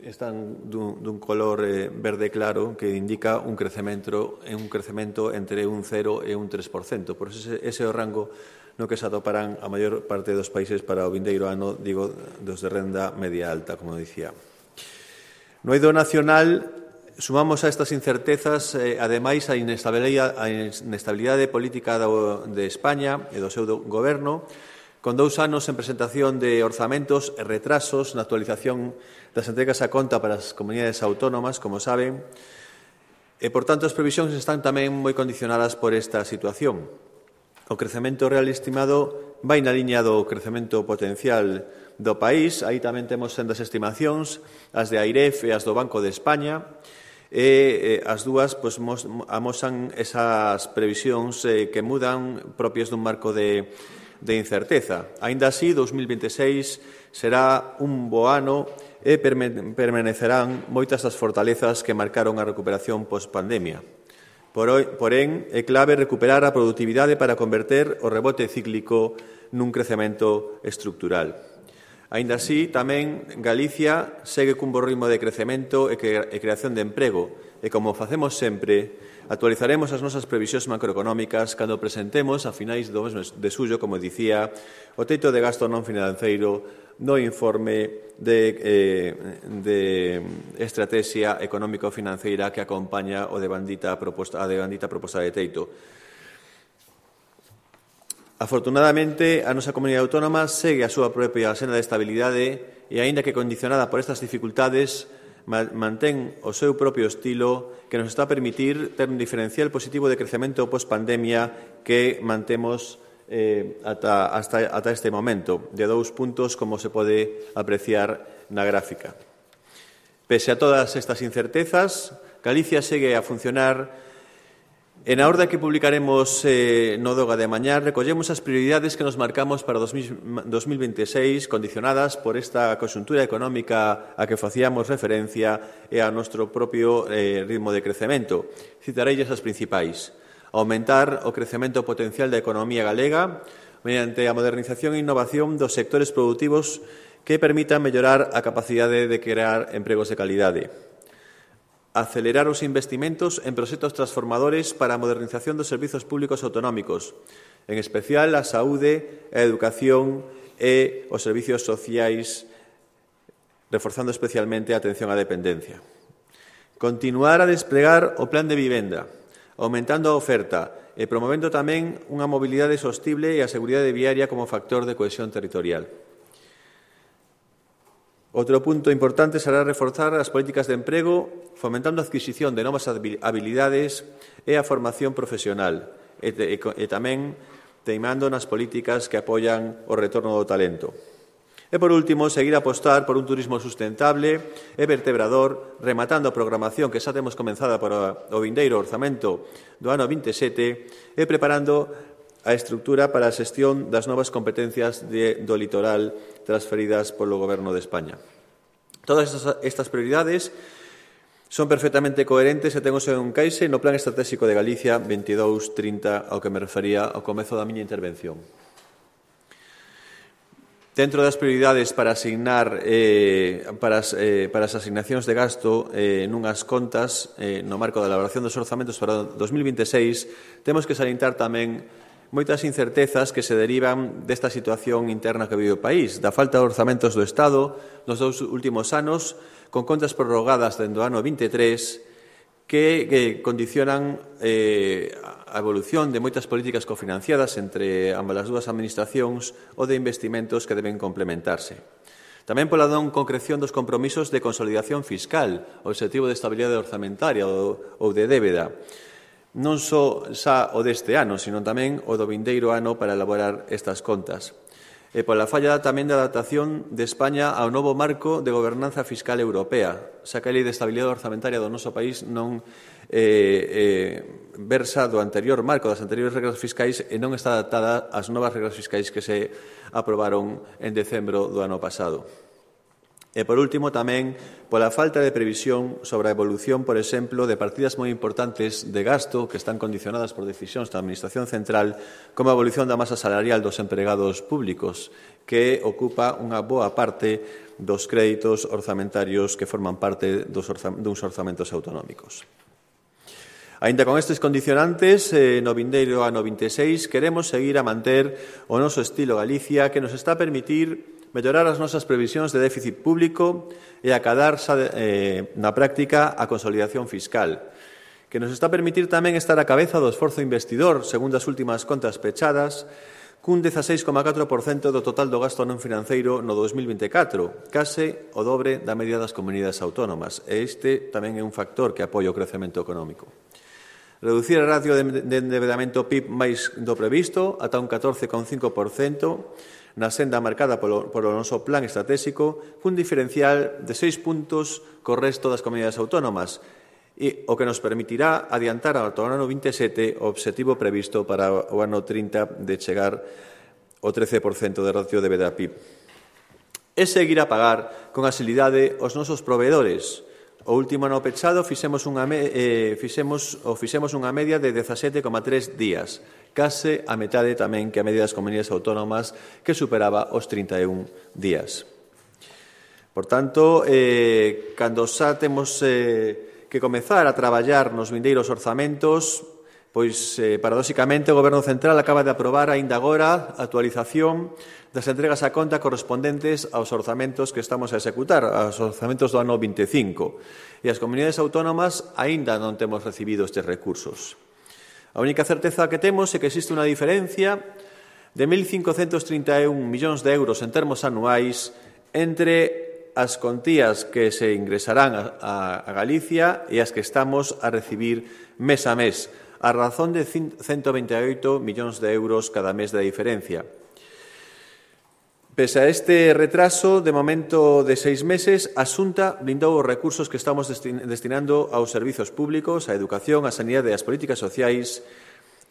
están dun, dun color eh, verde claro que indica un crecemento, un crecemento entre un cero e un tres por cento. Por ese, ese é o rango no que se atoparán a maior parte dos países para o vindeiro ano, digo, dos de renda media alta, como dicía. No eido nacional, sumamos a estas incertezas, eh, ademais, a inestabilidade, a inestabilidade política do, de España e do seu do, goberno, con dous anos en presentación de orzamentos e retrasos na actualización das entregas a conta para as comunidades autónomas, como saben, e, por tanto, as previsións están tamén moi condicionadas por esta situación. O crecemento real estimado vai na liña do crecemento potencial do país. Aí tamén temos sendas estimacións, as de AIREF e as do Banco de España, e as dúas pois, amosan esas previsións eh, que mudan propias dun marco de, de incerteza. Aínda así, dos mil veintiséis será un bo ano e permanecerán moitas das fortalezas que marcaron a recuperación post-pandemia. Porén, é clave recuperar a produtividade para converter o rebote cíclico nun crecemento estructural. Aínda así, tamén Galicia segue cun bo ritmo de crecemento e creación de emprego e, como facemos sempre, actualizaremos as nosas previsións macroeconómicas cando presentemos a finais do mes de xullo, como dicía, o teito de gasto non financeiro no informe de, eh, de estrategia económico-financeira que acompaña o de bandita proposta, a de bandita proposta de teito. Afortunadamente, a nosa comunidade autónoma segue a súa propia senda de estabilidade e, aínda que condicionada por estas dificultades, mantén o seu propio estilo que nos está a permitir ter un diferencial positivo de crecemento post-pandemia que mantemos eh, ata, hasta, ata este momento, de dous puntos, como se pode apreciar na gráfica. Pese a todas estas incertezas, Galicia segue a funcionar. En a orde que publicaremos eh, no Doga de mañá, recollemos as prioridades que nos marcamos para dos mil veintiséis, condicionadas por esta conxuntura económica a que facíamos referencia e a noso propio eh, ritmo de crecemento. Citarei as principais. Aumentar o crecemento potencial da economía galega mediante a modernización e innovación dos sectores produtivos que permitan mellorar a capacidade de crear empregos de calidade. Acelerar os investimentos en proxectos transformadores para a modernización dos servizos públicos autonómicos, en especial a saúde, a educación e os servizos sociais, reforzando especialmente a atención á dependencia. Continuar a desplegar o plan de vivenda, aumentando a oferta e promovendo tamén unha mobilidade sostible e a seguridade viaria como factor de cohesión territorial. Outro punto importante será reforzar as políticas de emprego, fomentando a adquisición de novas habilidades e a formación profesional, e, e, e tamén teimando nas políticas que apoian o retorno do talento. E, por último, seguir a apostar por un turismo sustentable e vertebrador, rematando a programación que xa temos comenzada para o vindeiro orzamento do ano vinte e sete e preparando a estrutura para a xestión das novas competencias de, do litoral transferidas polo Goberno de España. Todas estas, estas prioridades son perfectamente coherentes e ten o seu encaixe no Plan Estratégico de Galicia veintidós trinta ao que me refería ao comezo da miña intervención. Dentro das prioridades para asignar eh, para, as, eh, para as asignacións de gasto eh, nunhas contas eh, no marco da elaboración dos orzamentos para dos mil vinte e seis temos que salientar tamén moitas incertezas que se derivan desta situación interna que vive o país, da falta de orzamentos do Estado nos dous últimos anos, con contas prorrogadas dende o ano vinte e tres que, que condicionan eh, a evolución de moitas políticas cofinanciadas entre ambas as dúas administracións ou de investimentos que deben complementarse. Tamén pola non concreción dos compromisos de consolidación fiscal, o obxectivo de estabilidade orzamentaria ou, ou de débeda, non só xa o deste ano, sino tamén o do vindeiro ano para elaborar estas contas. E pola falla tamén da adaptación de España ao novo marco de gobernanza fiscal europea, xa que a Lei de Estabilidade Orzamentaria do noso país non eh, eh, versa do anterior marco, das anteriores regras fiscais, e non está adaptada ás novas regras fiscais que se aprobaron en decembro do ano pasado. E, por último, tamén pola falta de previsión sobre a evolución, por exemplo, de partidas moi importantes de gasto que están condicionadas por decisións da Administración Central, como a evolución da masa salarial dos empregados públicos, que ocupa unha boa parte dos créditos orzamentarios que forman parte dos orza, duns orzamentos autonómicos. Aínda con estes condicionantes, eh, no vindeiro ano vinte e seis, queremos seguir a manter o noso estilo Galicia, que nos está a permitir mellorar as nosas previsións de déficit público e acadar eh, na práctica a consolidación fiscal, que nos está a permitir tamén estar a cabeza do esforzo investidor, segundo as últimas contas pechadas, cun dezaseis coma catro por cento do total do gasto non financeiro no dos mil vinte e catro, case o dobre da media das comunidades autónomas, e este tamén é un factor que apoia o crecemento económico. Reducir a ratio de endeudamento P I B máis do previsto ata un catorce coma cinco por cento, na senda marcada polo, polo noso plan estratégico, cun diferencial de seis puntos co resto das comunidades autónomas, e o que nos permitirá adiantar ao ano vinte e sete o obxectivo previsto para o ano trinta de chegar ao trece por cento de ratio de débeda P I B. E seguir a pagar con asilidade os nosos proveedores. O último ano pechado fixemos unha, eh, fixemos, ou fixemos unha media de dezasete coma tres días, case a metade tamén que a media das comunidades autónomas, que superaba os trinta e un días. Por tanto, eh, cando xa temos eh, que comezar a traballar nos vindeiros orzamentos, pois, eh, paradóxicamente, o Goberno Central acaba de aprobar aínda agora a actualización das entregas a conta correspondentes aos orzamentos que estamos a executar, aos orzamentos do ano vinte e cinco. E as comunidades autónomas aínda non temos recibido estes recursos. A única certeza que temos é que existe unha diferencia de mil cincocentos trinta e un millóns de euros en termos anuais entre as contías que se ingresarán a, a, a Galicia e as que estamos a recibir mes a mes, a razón de ciento vinte e oito millóns de euros cada mes de diferencia. Pese a este retraso, de momento de seis meses, a Xunta blindou os recursos que estamos destinando aos servizos públicos, á educación, á sanidade e ás políticas sociais.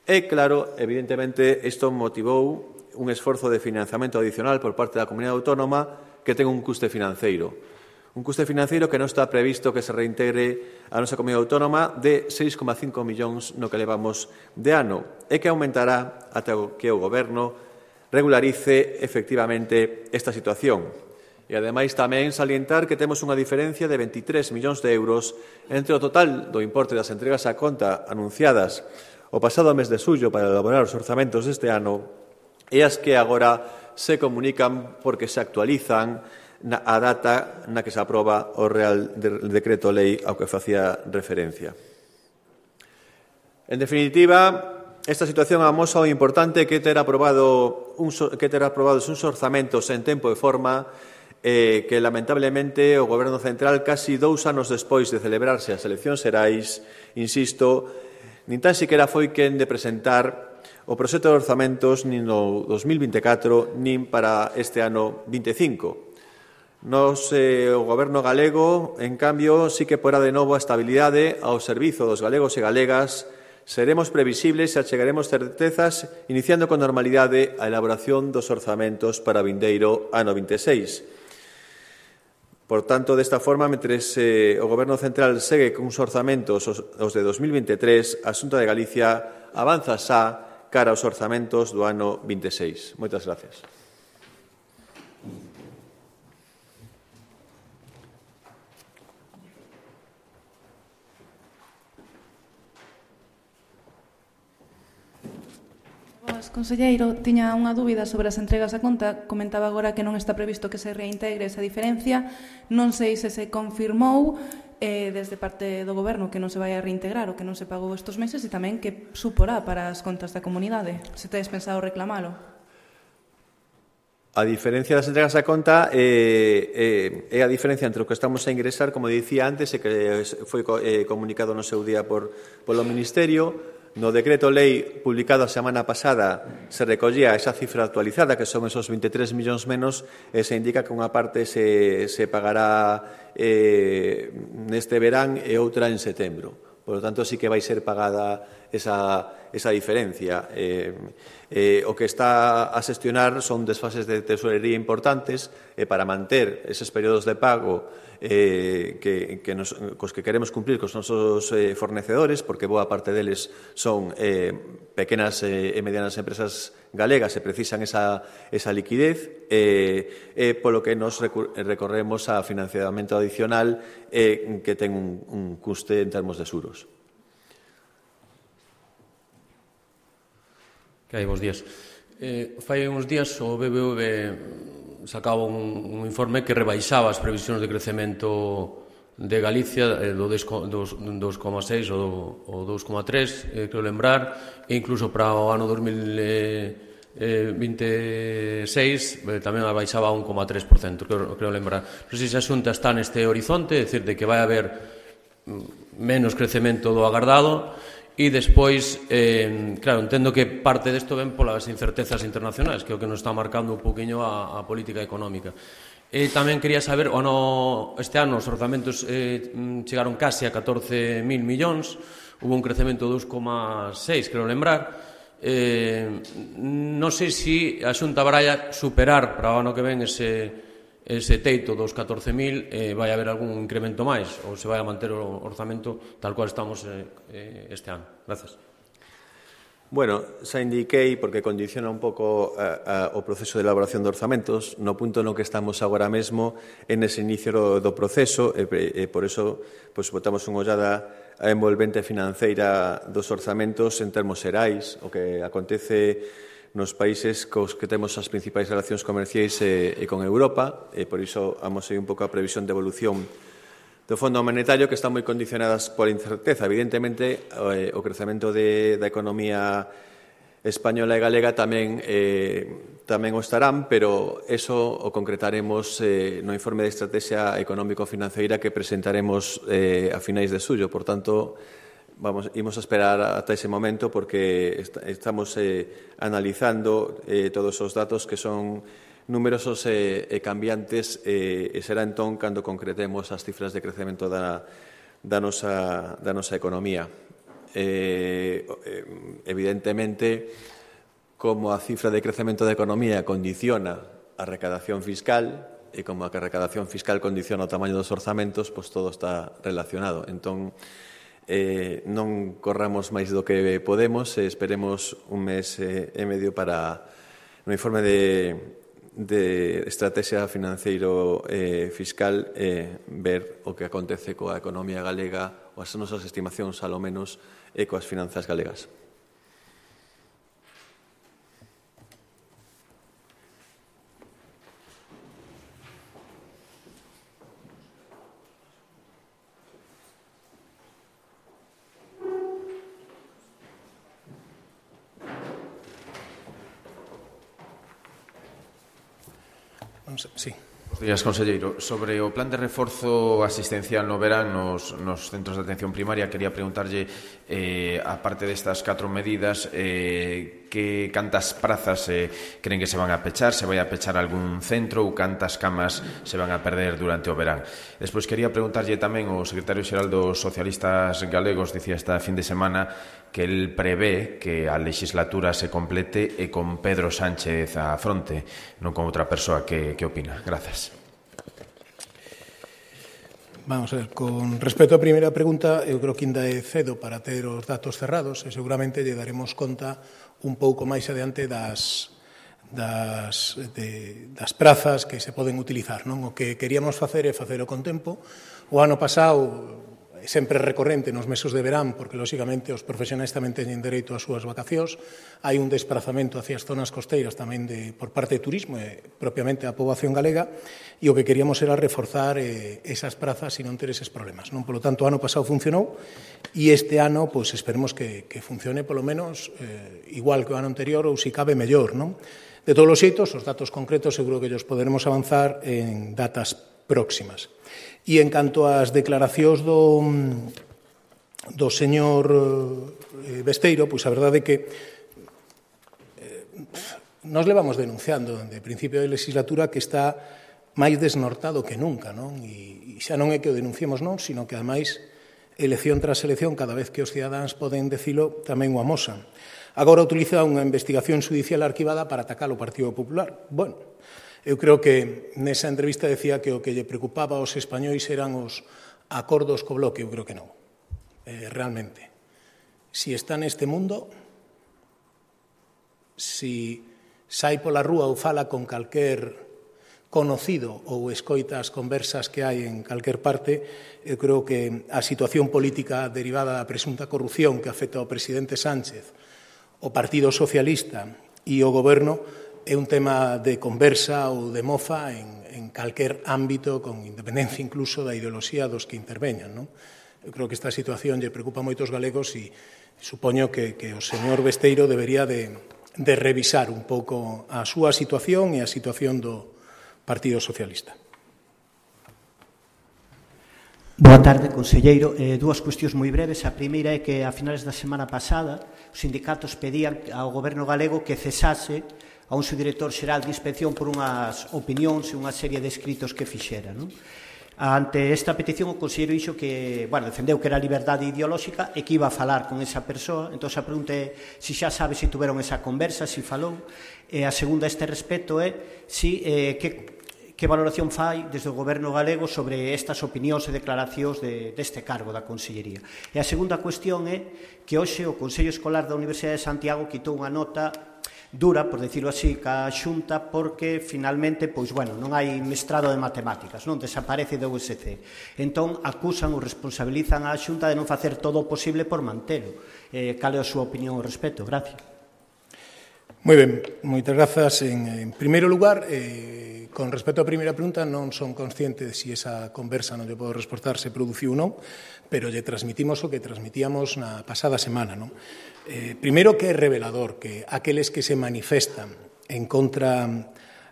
E, claro, evidentemente, isto motivou un esforzo de financiamento adicional por parte da comunidade autónoma que ten un custe financeiro. Un custe financeiro que non está previsto que se reintegre a nosa comunidade autónoma de seis coma cinco millóns no que levamos de ano e que aumentará ata que o Goberno regularice efectivamente esta situación. E, ademais, tamén salientar que temos unha diferencia de veintitrés millóns de euros entre o total do importe das entregas á conta anunciadas o pasado mes de xullo para elaborar os orzamentos deste ano e as que agora se comunican porque se actualizan na, a data na que se aproba o Real Decreto Lei ao que facía referencia. En definitiva, esta situación amosa o importante que ter aprobado un, que ter aprobados uns orzamentos en tempo e forma eh, que lamentablemente o Goberno Central casi dous anos despois de celebrarse as eleccións xerais, insisto, nin tan siquiera foi quen de presentar o proxecto de orzamentos nin no dos mil vinte e catro nin para este ano vinte e cinco. Nos, eh, o Goberno galego, en cambio, sí que porá de novo a estabilidade ao servizo dos galegos e galegas. Seremos previsibles e achegaremos certezas, iniciando con normalidade a elaboración dos orzamentos para o vindeiro ano vinte e seis. Por tanto, desta forma, mentres eh, o Goberno Central segue con os orzamentos os, os de dos mil vinte e tres, a Xunta de Galicia avanza xa cara aos orzamentos do ano vinte e seis. Moitas gracias. Conselleiro, tiña unha dúbida sobre as entregas a conta. Comentaba agora que non está previsto que se reintegre esa diferencia. Non sei se se confirmou eh, desde parte do Goberno que non se vai a reintegrar o que non se pagou estes meses e tamén que suporá para as contas da comunidade. Se tedes pensado reclamalo. A diferencia das entregas a conta eh, eh, é a diferencia entre o que estamos a ingresar, como dicía antes, e que foi eh, comunicado no seu día por, polo Ministerio. No decreto lei publicado a semana pasada se recollía esa cifra actualizada, que son esos vinte e tres millóns menos, e se indica que unha parte se, se pagará eh, neste verán e outra en setembro. Por lo tanto, sí que vai ser pagada esa, esa diferencia. Eh, eh, o que está a xestionar son desfases de tesorería importantes e para manter eses períodos de pago eh, que, que nos, cos que queremos cumplir cos nosos eh, fornecedores, porque boa parte deles son eh, pequenas eh, e medianas empresas galegas e precisan esa, esa liquidez, eh, eh, polo que nos recorremos a financiamento adicional eh, que ten un, un custe en termos de xuros. Que hai, bons días. Eh, fai uns días o B B V sacaba un, un informe que rebaixaba as previsións de crecemento de Galicia eh, do dos coma seis ou do dos coma tres, eh, creo lembrar, e incluso para o ano dos mil vinte e seis eh, tamén a baixaba a un coma tres por cento, creo, creo lembrar. Non sei se a Xunta está neste horizonte, é dicir, de que vai haber menos crecemento do agardado. E despois, eh, claro, entendo que parte desto ven polas incertezas internacionais, que é o que nos está marcando un poquinho a, a política económica. E tamén quería saber, o no, este ano os orzamentos eh, chegaron casi a catorce mil millóns, hubo un crecemento de dos coma seis, creo lembrar. Eh, non sei se a Xunta baralla superar para o ano que ven ese... ese teito dos catorce mil, eh, vai haber algún incremento máis ou se vai a manter o orzamento tal cual estamos eh, este ano? Grazas. Bueno, xa indiquei, porque condiciona un pouco a, a, o proceso de elaboración de orzamentos, no punto no que estamos agora mesmo en ese inicio do, do proceso, e, e por eso pues, botamos unha ollada a envolvente financeira dos orzamentos en termos xerais, o que acontece nos países cos que temos as principais relacións comerciais e, e con Europa, e por iso vamos a ir un pouco a previsión de evolución do Fondo Monetario, que están moi condicionadas por incerteza. Evidentemente, eh, o crecemento de, da economía española e galega tamén, eh, tamén o estarán, pero eso o concretaremos eh, no informe de estrategia económico-financeira que presentaremos eh, a finais de xullo. Por tanto, Vamos, imos a esperar ata ese momento porque est estamos eh, analizando eh, todos os datos que son numerosos e, e cambiantes e, e será entón cando concretemos as cifras de crecemento da, da, nosa, da nosa economía. Eh, evidentemente, como a cifra de crecemento da economía condiciona a recadación fiscal e como a recadación fiscal condiciona o tamaño dos orzamentos, pois todo está relacionado. Entón, Eh, non corramos máis do que podemos e esperemos un mes eh, e medio para no informe de, de estrategia financeiro eh, fiscal eh, ver o que acontece coa economía galega ou as nosas estimacións, alo menos, e coas finanzas galegas. Sí. Bos días, conselleiro. Sobre o plan de reforzo asistencial no verán nos, nos centros de atención primaria, quería preguntarlle, eh, aparte destas catro medidas, eh, que cantas prazas eh, creen que se van a pechar, se vai a pechar algún centro ou cantas camas se van a perder durante o verán. Despois quería preguntarlle tamén o secretario xeral dos socialistas galegos, dicía esta fin de semana, que el prevé que a legislatura se complete e con Pedro Sánchez á fronte, non con outra persoa. Que, que opina? Grazas. Vamos a ver, con respecto á primeira pregunta, eu creo que ainda é cedo para ter os datos cerrados e seguramente lle daremos conta un pouco máis adiante das, das, de, das prazas que se poden utilizar. Non? O que queríamos facer é facelo con tempo. O ano pasado, sempre recorrente nos meses de verán, porque, lóxicamente, os profesionais tamén teñen dereito ás súas vacacións. Hai un desprazamento hacia as zonas costeiras tamén de, por parte de turismo e propiamente a poboación galega, e o que queríamos era reforzar eh, esas prazas e non ter eses problemas. Non? Por lo tanto, o ano pasado funcionou e este ano, pois, esperemos que, que funcione polo menos eh, igual que o ano anterior ou, se cabe, mellor. Non? De todos os xeitos, os datos concretos seguro que ellos poderemos avanzar en datas próximas. E en canto ás declaracións do, do señor eh, Besteiro, pois a verdade é que eh, nos levamos denunciando de principio de legislatura que está máis desnortado que nunca, non? E, e xa non é que o denunciemos non, sino que, ademais, elección tras elección, cada vez que os cidadáns poden decilo, tamén o amosan. Agora utiliza unha investigación judicial arquivada para atacar o Partido Popular. Bueno, eu creo que nesa entrevista decía que o que lle preocupaba aos españois eran os acordos co Bloque. Eu creo que non. Eh, realmente. Si está neste mundo, si sai pola rúa ou fala con calquer conocido ou escoita as conversas que hai en calquer parte, eu creo que a situación política derivada da presunta corrupción que afecta ao presidente Sánchez, o Partido Socialista e o Goberno é un tema de conversa ou de mofa en, en calquer ámbito, con independencia incluso da ideoloxía dos que interveñan. Non? Eu creo que esta situación lle preocupa moitos galegos e supoño que, que o señor Besteiro debería de, de revisar un pouco a súa situación e a situación do Partido Socialista. Boa tarde, conselleiro. Eh, dúas cuestións moi breves. A primeira é que a finales da semana pasada os sindicatos pedían ao goberno galego que cesase a un subdirector xeral de inspección por unhas opinións e unha serie de escritos que fixera. Non? Ante esta petición, o conselleiro dixo que, bueno, defendeu que era liberdade ideolóxica e que iba a falar con esa persoa. Entón, a pregunta é se xa sabe se tuveron esa conversa, se falou. E a segunda a este respecto é si, eh, que, que valoración fai desde o goberno galego sobre estas opinións e declaracións de, deste cargo da consellería. E a segunda cuestión é que hoxe o Consello Escolar da Universidade de Santiago quitou unha nota dura, por decirlo así, ca Xunta, porque finalmente, pois, bueno, non hai mestrado de matemáticas, non desaparece do U S C. Entón, acusan ou responsabilizan a Xunta de non facer todo o posible por mantelo. Eh, cal é a súa opinión ao respecto? Gracias. Moi ben, moitas grazas. En, en primeiro lugar, eh, con respecto á primeira pregunta, non son consciente de si esa conversa, non lle podo responder, se produciu ou non, pero lle transmitimos o que transmitíamos na pasada semana, non? Eh, primeiro, que é revelador que aqueles que se manifestan en contra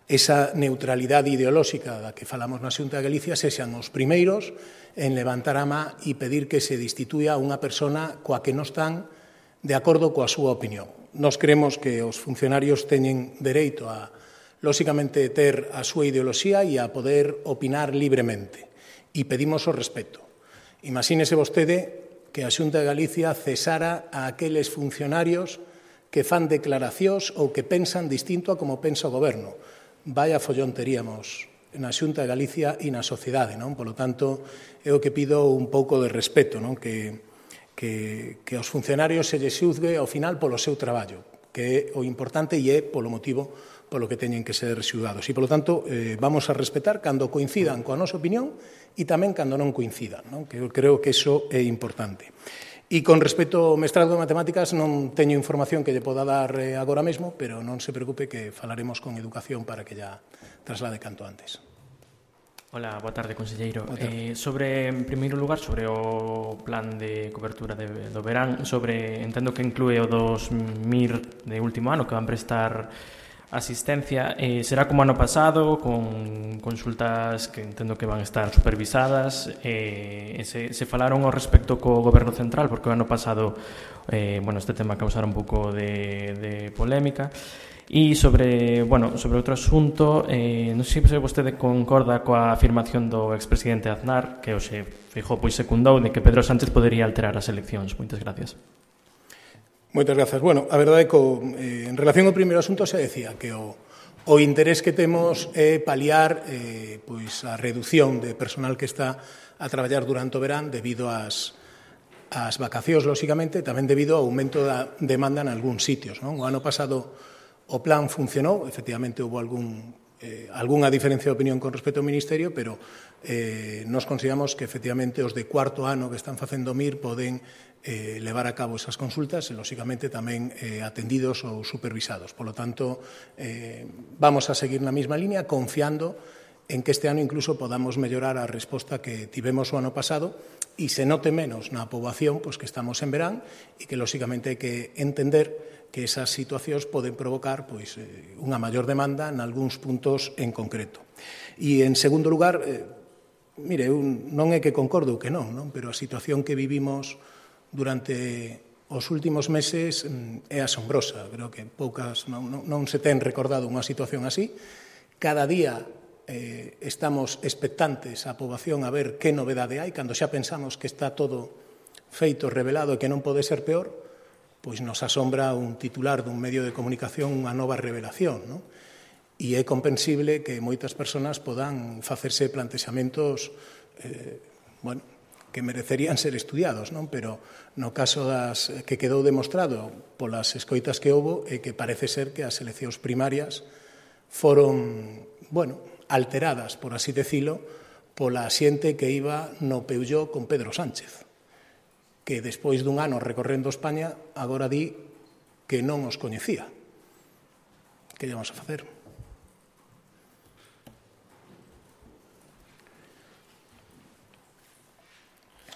esa neutralidade ideolóxica da que falamos na Xunta de Galicia sexan os primeiros en levantar a má e pedir que se destituya a unha persona coa que non están de acordo coa súa opinión. Nos creemos que os funcionarios teñen dereito a, lóxicamente, ter a súa ideoloxía e a poder opinar libremente. E pedimos o respeto. Imagínese vostede que a Xunta de Galicia cesara a aqueles funcionarios que fan declaracións ou que pensan distinto a como pensa o goberno. Vaya follón teríamos na Xunta de Galicia e na sociedade, non? Por lo tanto, é o que pido un pouco de respeto, non? Que, que, que os funcionarios se lles xuzgue ao final polo seu traballo, que é o importante e é polo motivo polo que teñen que ser xulgados. E, polo tanto, eh, vamos a respetar cando coincidan coa nosa opinión e tamén cando non coincidan, non? Que eu creo que iso é importante. E con respecto ao mestrado de matemáticas non teño información que lle poda dar eh, agora mesmo, pero non se preocupe que falaremos con Educación para que ya traslade canto antes. Hola, boa tarde, conselleiro. Boa tarde. Eh, sobre, en primeiro lugar, sobre o plan de cobertura de, do verán, sobre, entendo que inclúe o dos M I R de último ano que van prestar asistencia eh, será como ano pasado, con consultas que entendo que van a estar supervisadas. Eh, se, se falaron ao respecto co Goberno Central, porque o ano pasado eh, bueno, este tema causara un pouco de, de polémica. E sobre, bueno, sobre outro asunto, eh, non sei se vostede concorda coa afirmación do expresidente Aznar, que hoxe Feijóo pois secundou, de que Pedro Sánchez podería alterar as eleccións. Moitas gracias. Moitas grazas. Bueno, a verdade é que eh, en relación ao primeiro asunto se decía que o, o interés que temos é paliar eh, pois a reducción de personal que está a traballar durante o verán debido ás, ás vacacións, lóxicamente, tamén debido ao aumento da demanda en algúns sitios, non? O ano pasado o plan funcionou, efectivamente houve algún, eh, algunha diferencia de opinión con respecto ao Ministerio, pero eh, nos consideramos que efectivamente os de cuarto ano que están facendo M I R poden eh, levar a cabo esas consultas e, lóxicamente, tamén eh, atendidos ou supervisados. Por lo tanto, eh, vamos a seguir na mesma línea, confiando en que este ano incluso podamos mellorar a resposta que tivemos o ano pasado e se note menos na poboación pois, que estamos en verán e que, lóxicamente, hai que entender que esas situacións poden provocar pois, eh, unha maior demanda en algúns puntos en concreto. E, en segundo lugar, eh, mire, un, non é que concordo ou que non, non, pero a situación que vivimos durante os últimos meses é asombrosa. Creo que poucas non, non, non se ten recordado unha situación así. Cada día eh, estamos expectantes a poboación a ver que novedade hai, cando xa pensamos que está todo feito, revelado e que non pode ser peor, pois nos asombra un titular dun medio de comunicación unha nova revelación, non? E é comprensible que moitas persoas podan facerse plantexamentos eh, bueno, que merecerían ser estudiados, non? Pero no caso das que quedou demostrado polas escoitas que houbo é que parece ser que as eleccións primarias foron, bueno, alteradas, por así decilo, pola xente que iba no Peugeot con Pedro Sánchez, que despois dun ano recorrendo España agora di que non os coñecía. Que lle vamos a facer?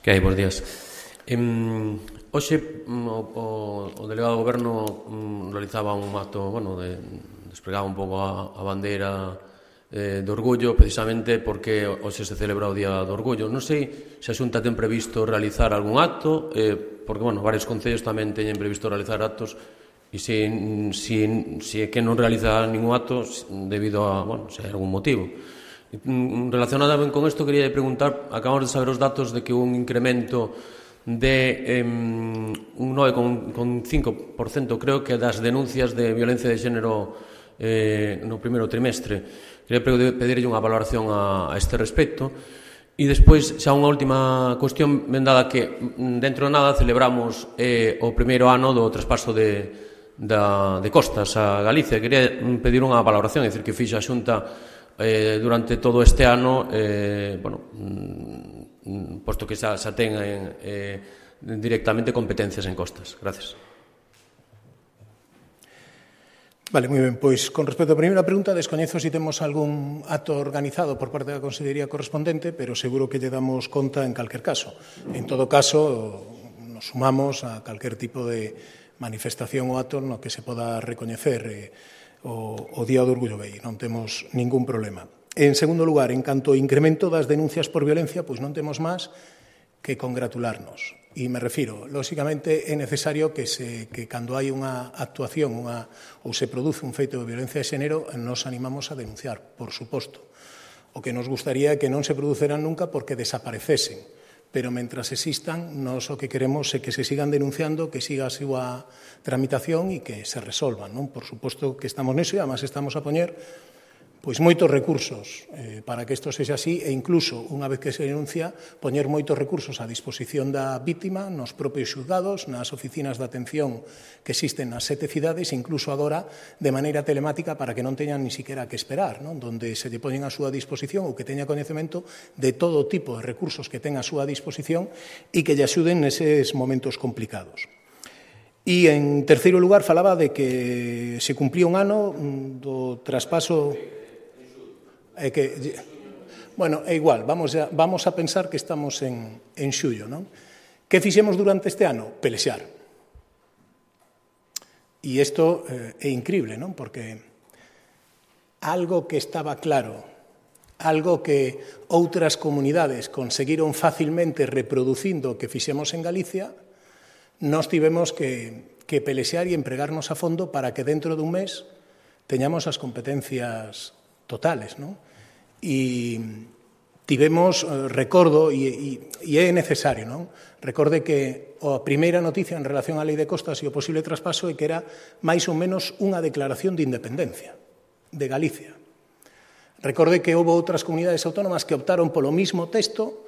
Que hai, bons días. Eh, hoxe o, o, o delegado do Goberno um, realizaba un acto, bueno, de, desplegaba un pouco a, a bandeira eh, do orgullo, precisamente porque hoxe se celebra o Día do Orgullo. Non sei se a Xunta ten previsto realizar algún acto, eh, porque, bueno, varios concellos tamén teñen previsto realizar actos, e se, se, se é que non realiza ningún acto debido a, bueno, se hai algún motivo. Relacionada ben con isto, quería preguntar, acabamos de saber os datos de que un incremento de eh, un nove coma cinco por cento, creo que das denuncias de violencia de xénero eh, no primeiro trimestre. Quería pedirlle unha valoración a, a este respecto. E despois, xa unha última cuestión, ben dada que dentro de nada celebramos eh, o primeiro ano do traspaso de, da, de costas a Galicia. Quería pedir unha valoración, é dicir, que fixa a Xunta Eh, durante todo este ano, eh, bueno, mm, posto que xa, xa ten eh, directamente competencias en costas. Gracias. Vale, moi ben. Pois, con respecto á primeira pregunta, descoñezo se temos algún acto organizado por parte da Consellería correspondente, pero seguro que lle damos conta en calquer caso. En todo caso, nos sumamos a calquer tipo de manifestación ou acto no que se poda recoñecer eh, o, o Día do Orgullo Gay, non temos ningún problema. En segundo lugar, en canto ao incremento das denuncias por violencia, pois non temos máis que congratularnos. E me refiro, lóxicamente, é necesario que, se, que cando hai unha actuación unha, ou se produce un feito de violencia de xénero, nos animamos a denunciar, por suposto. O que nos gustaría é que non se produceran nunca porque desaparecesen. Pero mentras existan, nós o que queremos é que se sigan denunciando, que siga a súa tramitación e que se resolvan, non? Por suposto que estamos neso e, además, estamos a poñer pois moitos recursos eh, para que isto sexa así e incluso, unha vez que se denuncia, poñer moitos recursos a disposición da vítima nos propios xulgados, nas oficinas de atención que existen nas sete cidades, incluso agora de maneira telemática para que non teñan ni siquiera que esperar, non? Donde se lle poñen a súa disposición ou que teña coñecemento de todo tipo de recursos que ten a súa disposición e que lle axuden neses momentos complicados. E, en terceiro lugar, falaba de que se cumplía un ano do traspaso... É que, bueno, é igual, vamos a, vamos a pensar que estamos en, en xullo, non? Que fixemos durante este ano? Pelexar. E isto eh, é increíble, non? Porque algo que estaba claro, algo que outras comunidades conseguiron facilmente reproducindo o que fixemos en Galicia, nós tivemos que, que pelexear e empregarnos a fondo para que dentro dun mes teñamos as competencias totales, non? E tivemos, recordo, e, e, e é necesario, non? Recorde que a primeira noticia en relación á lei de costas e o posible traspaso é que era máis ou menos unha declaración de independencia de Galicia. Recorde que houve outras comunidades autónomas que optaron polo mismo texto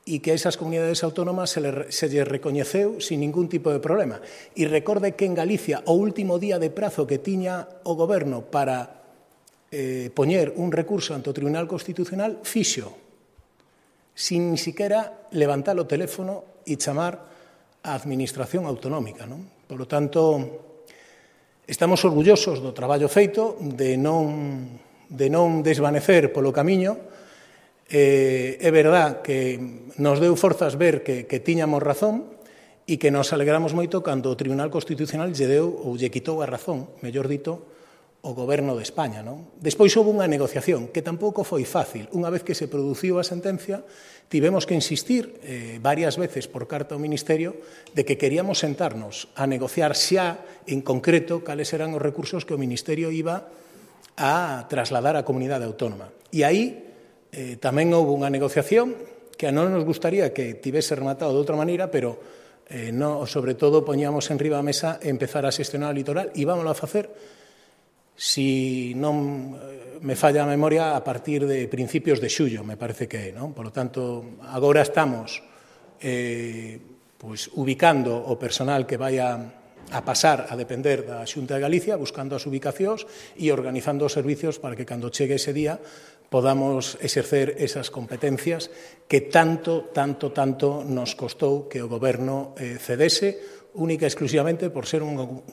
e que a esas comunidades autónomas se, le, se lle recoñeceu sin ningún tipo de problema. E recorde que en Galicia o último día de prazo que tiña o goberno para eh, poñer un recurso ante o Tribunal Constitucional fixo, sin ni siquiera levantar o teléfono e chamar a Administración Autonómica, non? Por lo tanto, estamos orgullosos do traballo feito, de non, de non desvanecer polo camiño. Eh, é verdad que nos deu forzas ver que, que tiñamos razón e que nos alegramos moito cando o Tribunal Constitucional lle deu ou lle quitou a razón, mellor dito, o Goberno de España, non? Despois houve unha negociación que tampouco foi fácil. Unha vez que se produciu a sentencia, tivemos que insistir eh, varias veces por carta ao Ministerio de que queríamos sentarnos a negociar xa en concreto cales eran os recursos que o Ministerio iba a trasladar á comunidade autónoma. E aí eh, tamén houve unha negociación que a non nos gustaría que tivese rematado de outra maneira, pero eh, no, sobre todo poñíamos en riba a mesa empezar a xestionar o litoral e vámonos a facer, si non me falla a memoria, a partir de principios de xullo, me parece que é, non? Por lo tanto, agora estamos eh, pues, ubicando o personal que vai a, a pasar a depender da Xunta de Galicia, buscando as ubicacións e organizando os servicios para que cando chegue ese día podamos exercer esas competencias que tanto, tanto, tanto nos costou que o Goberno eh, cedese única e exclusivamente por ser un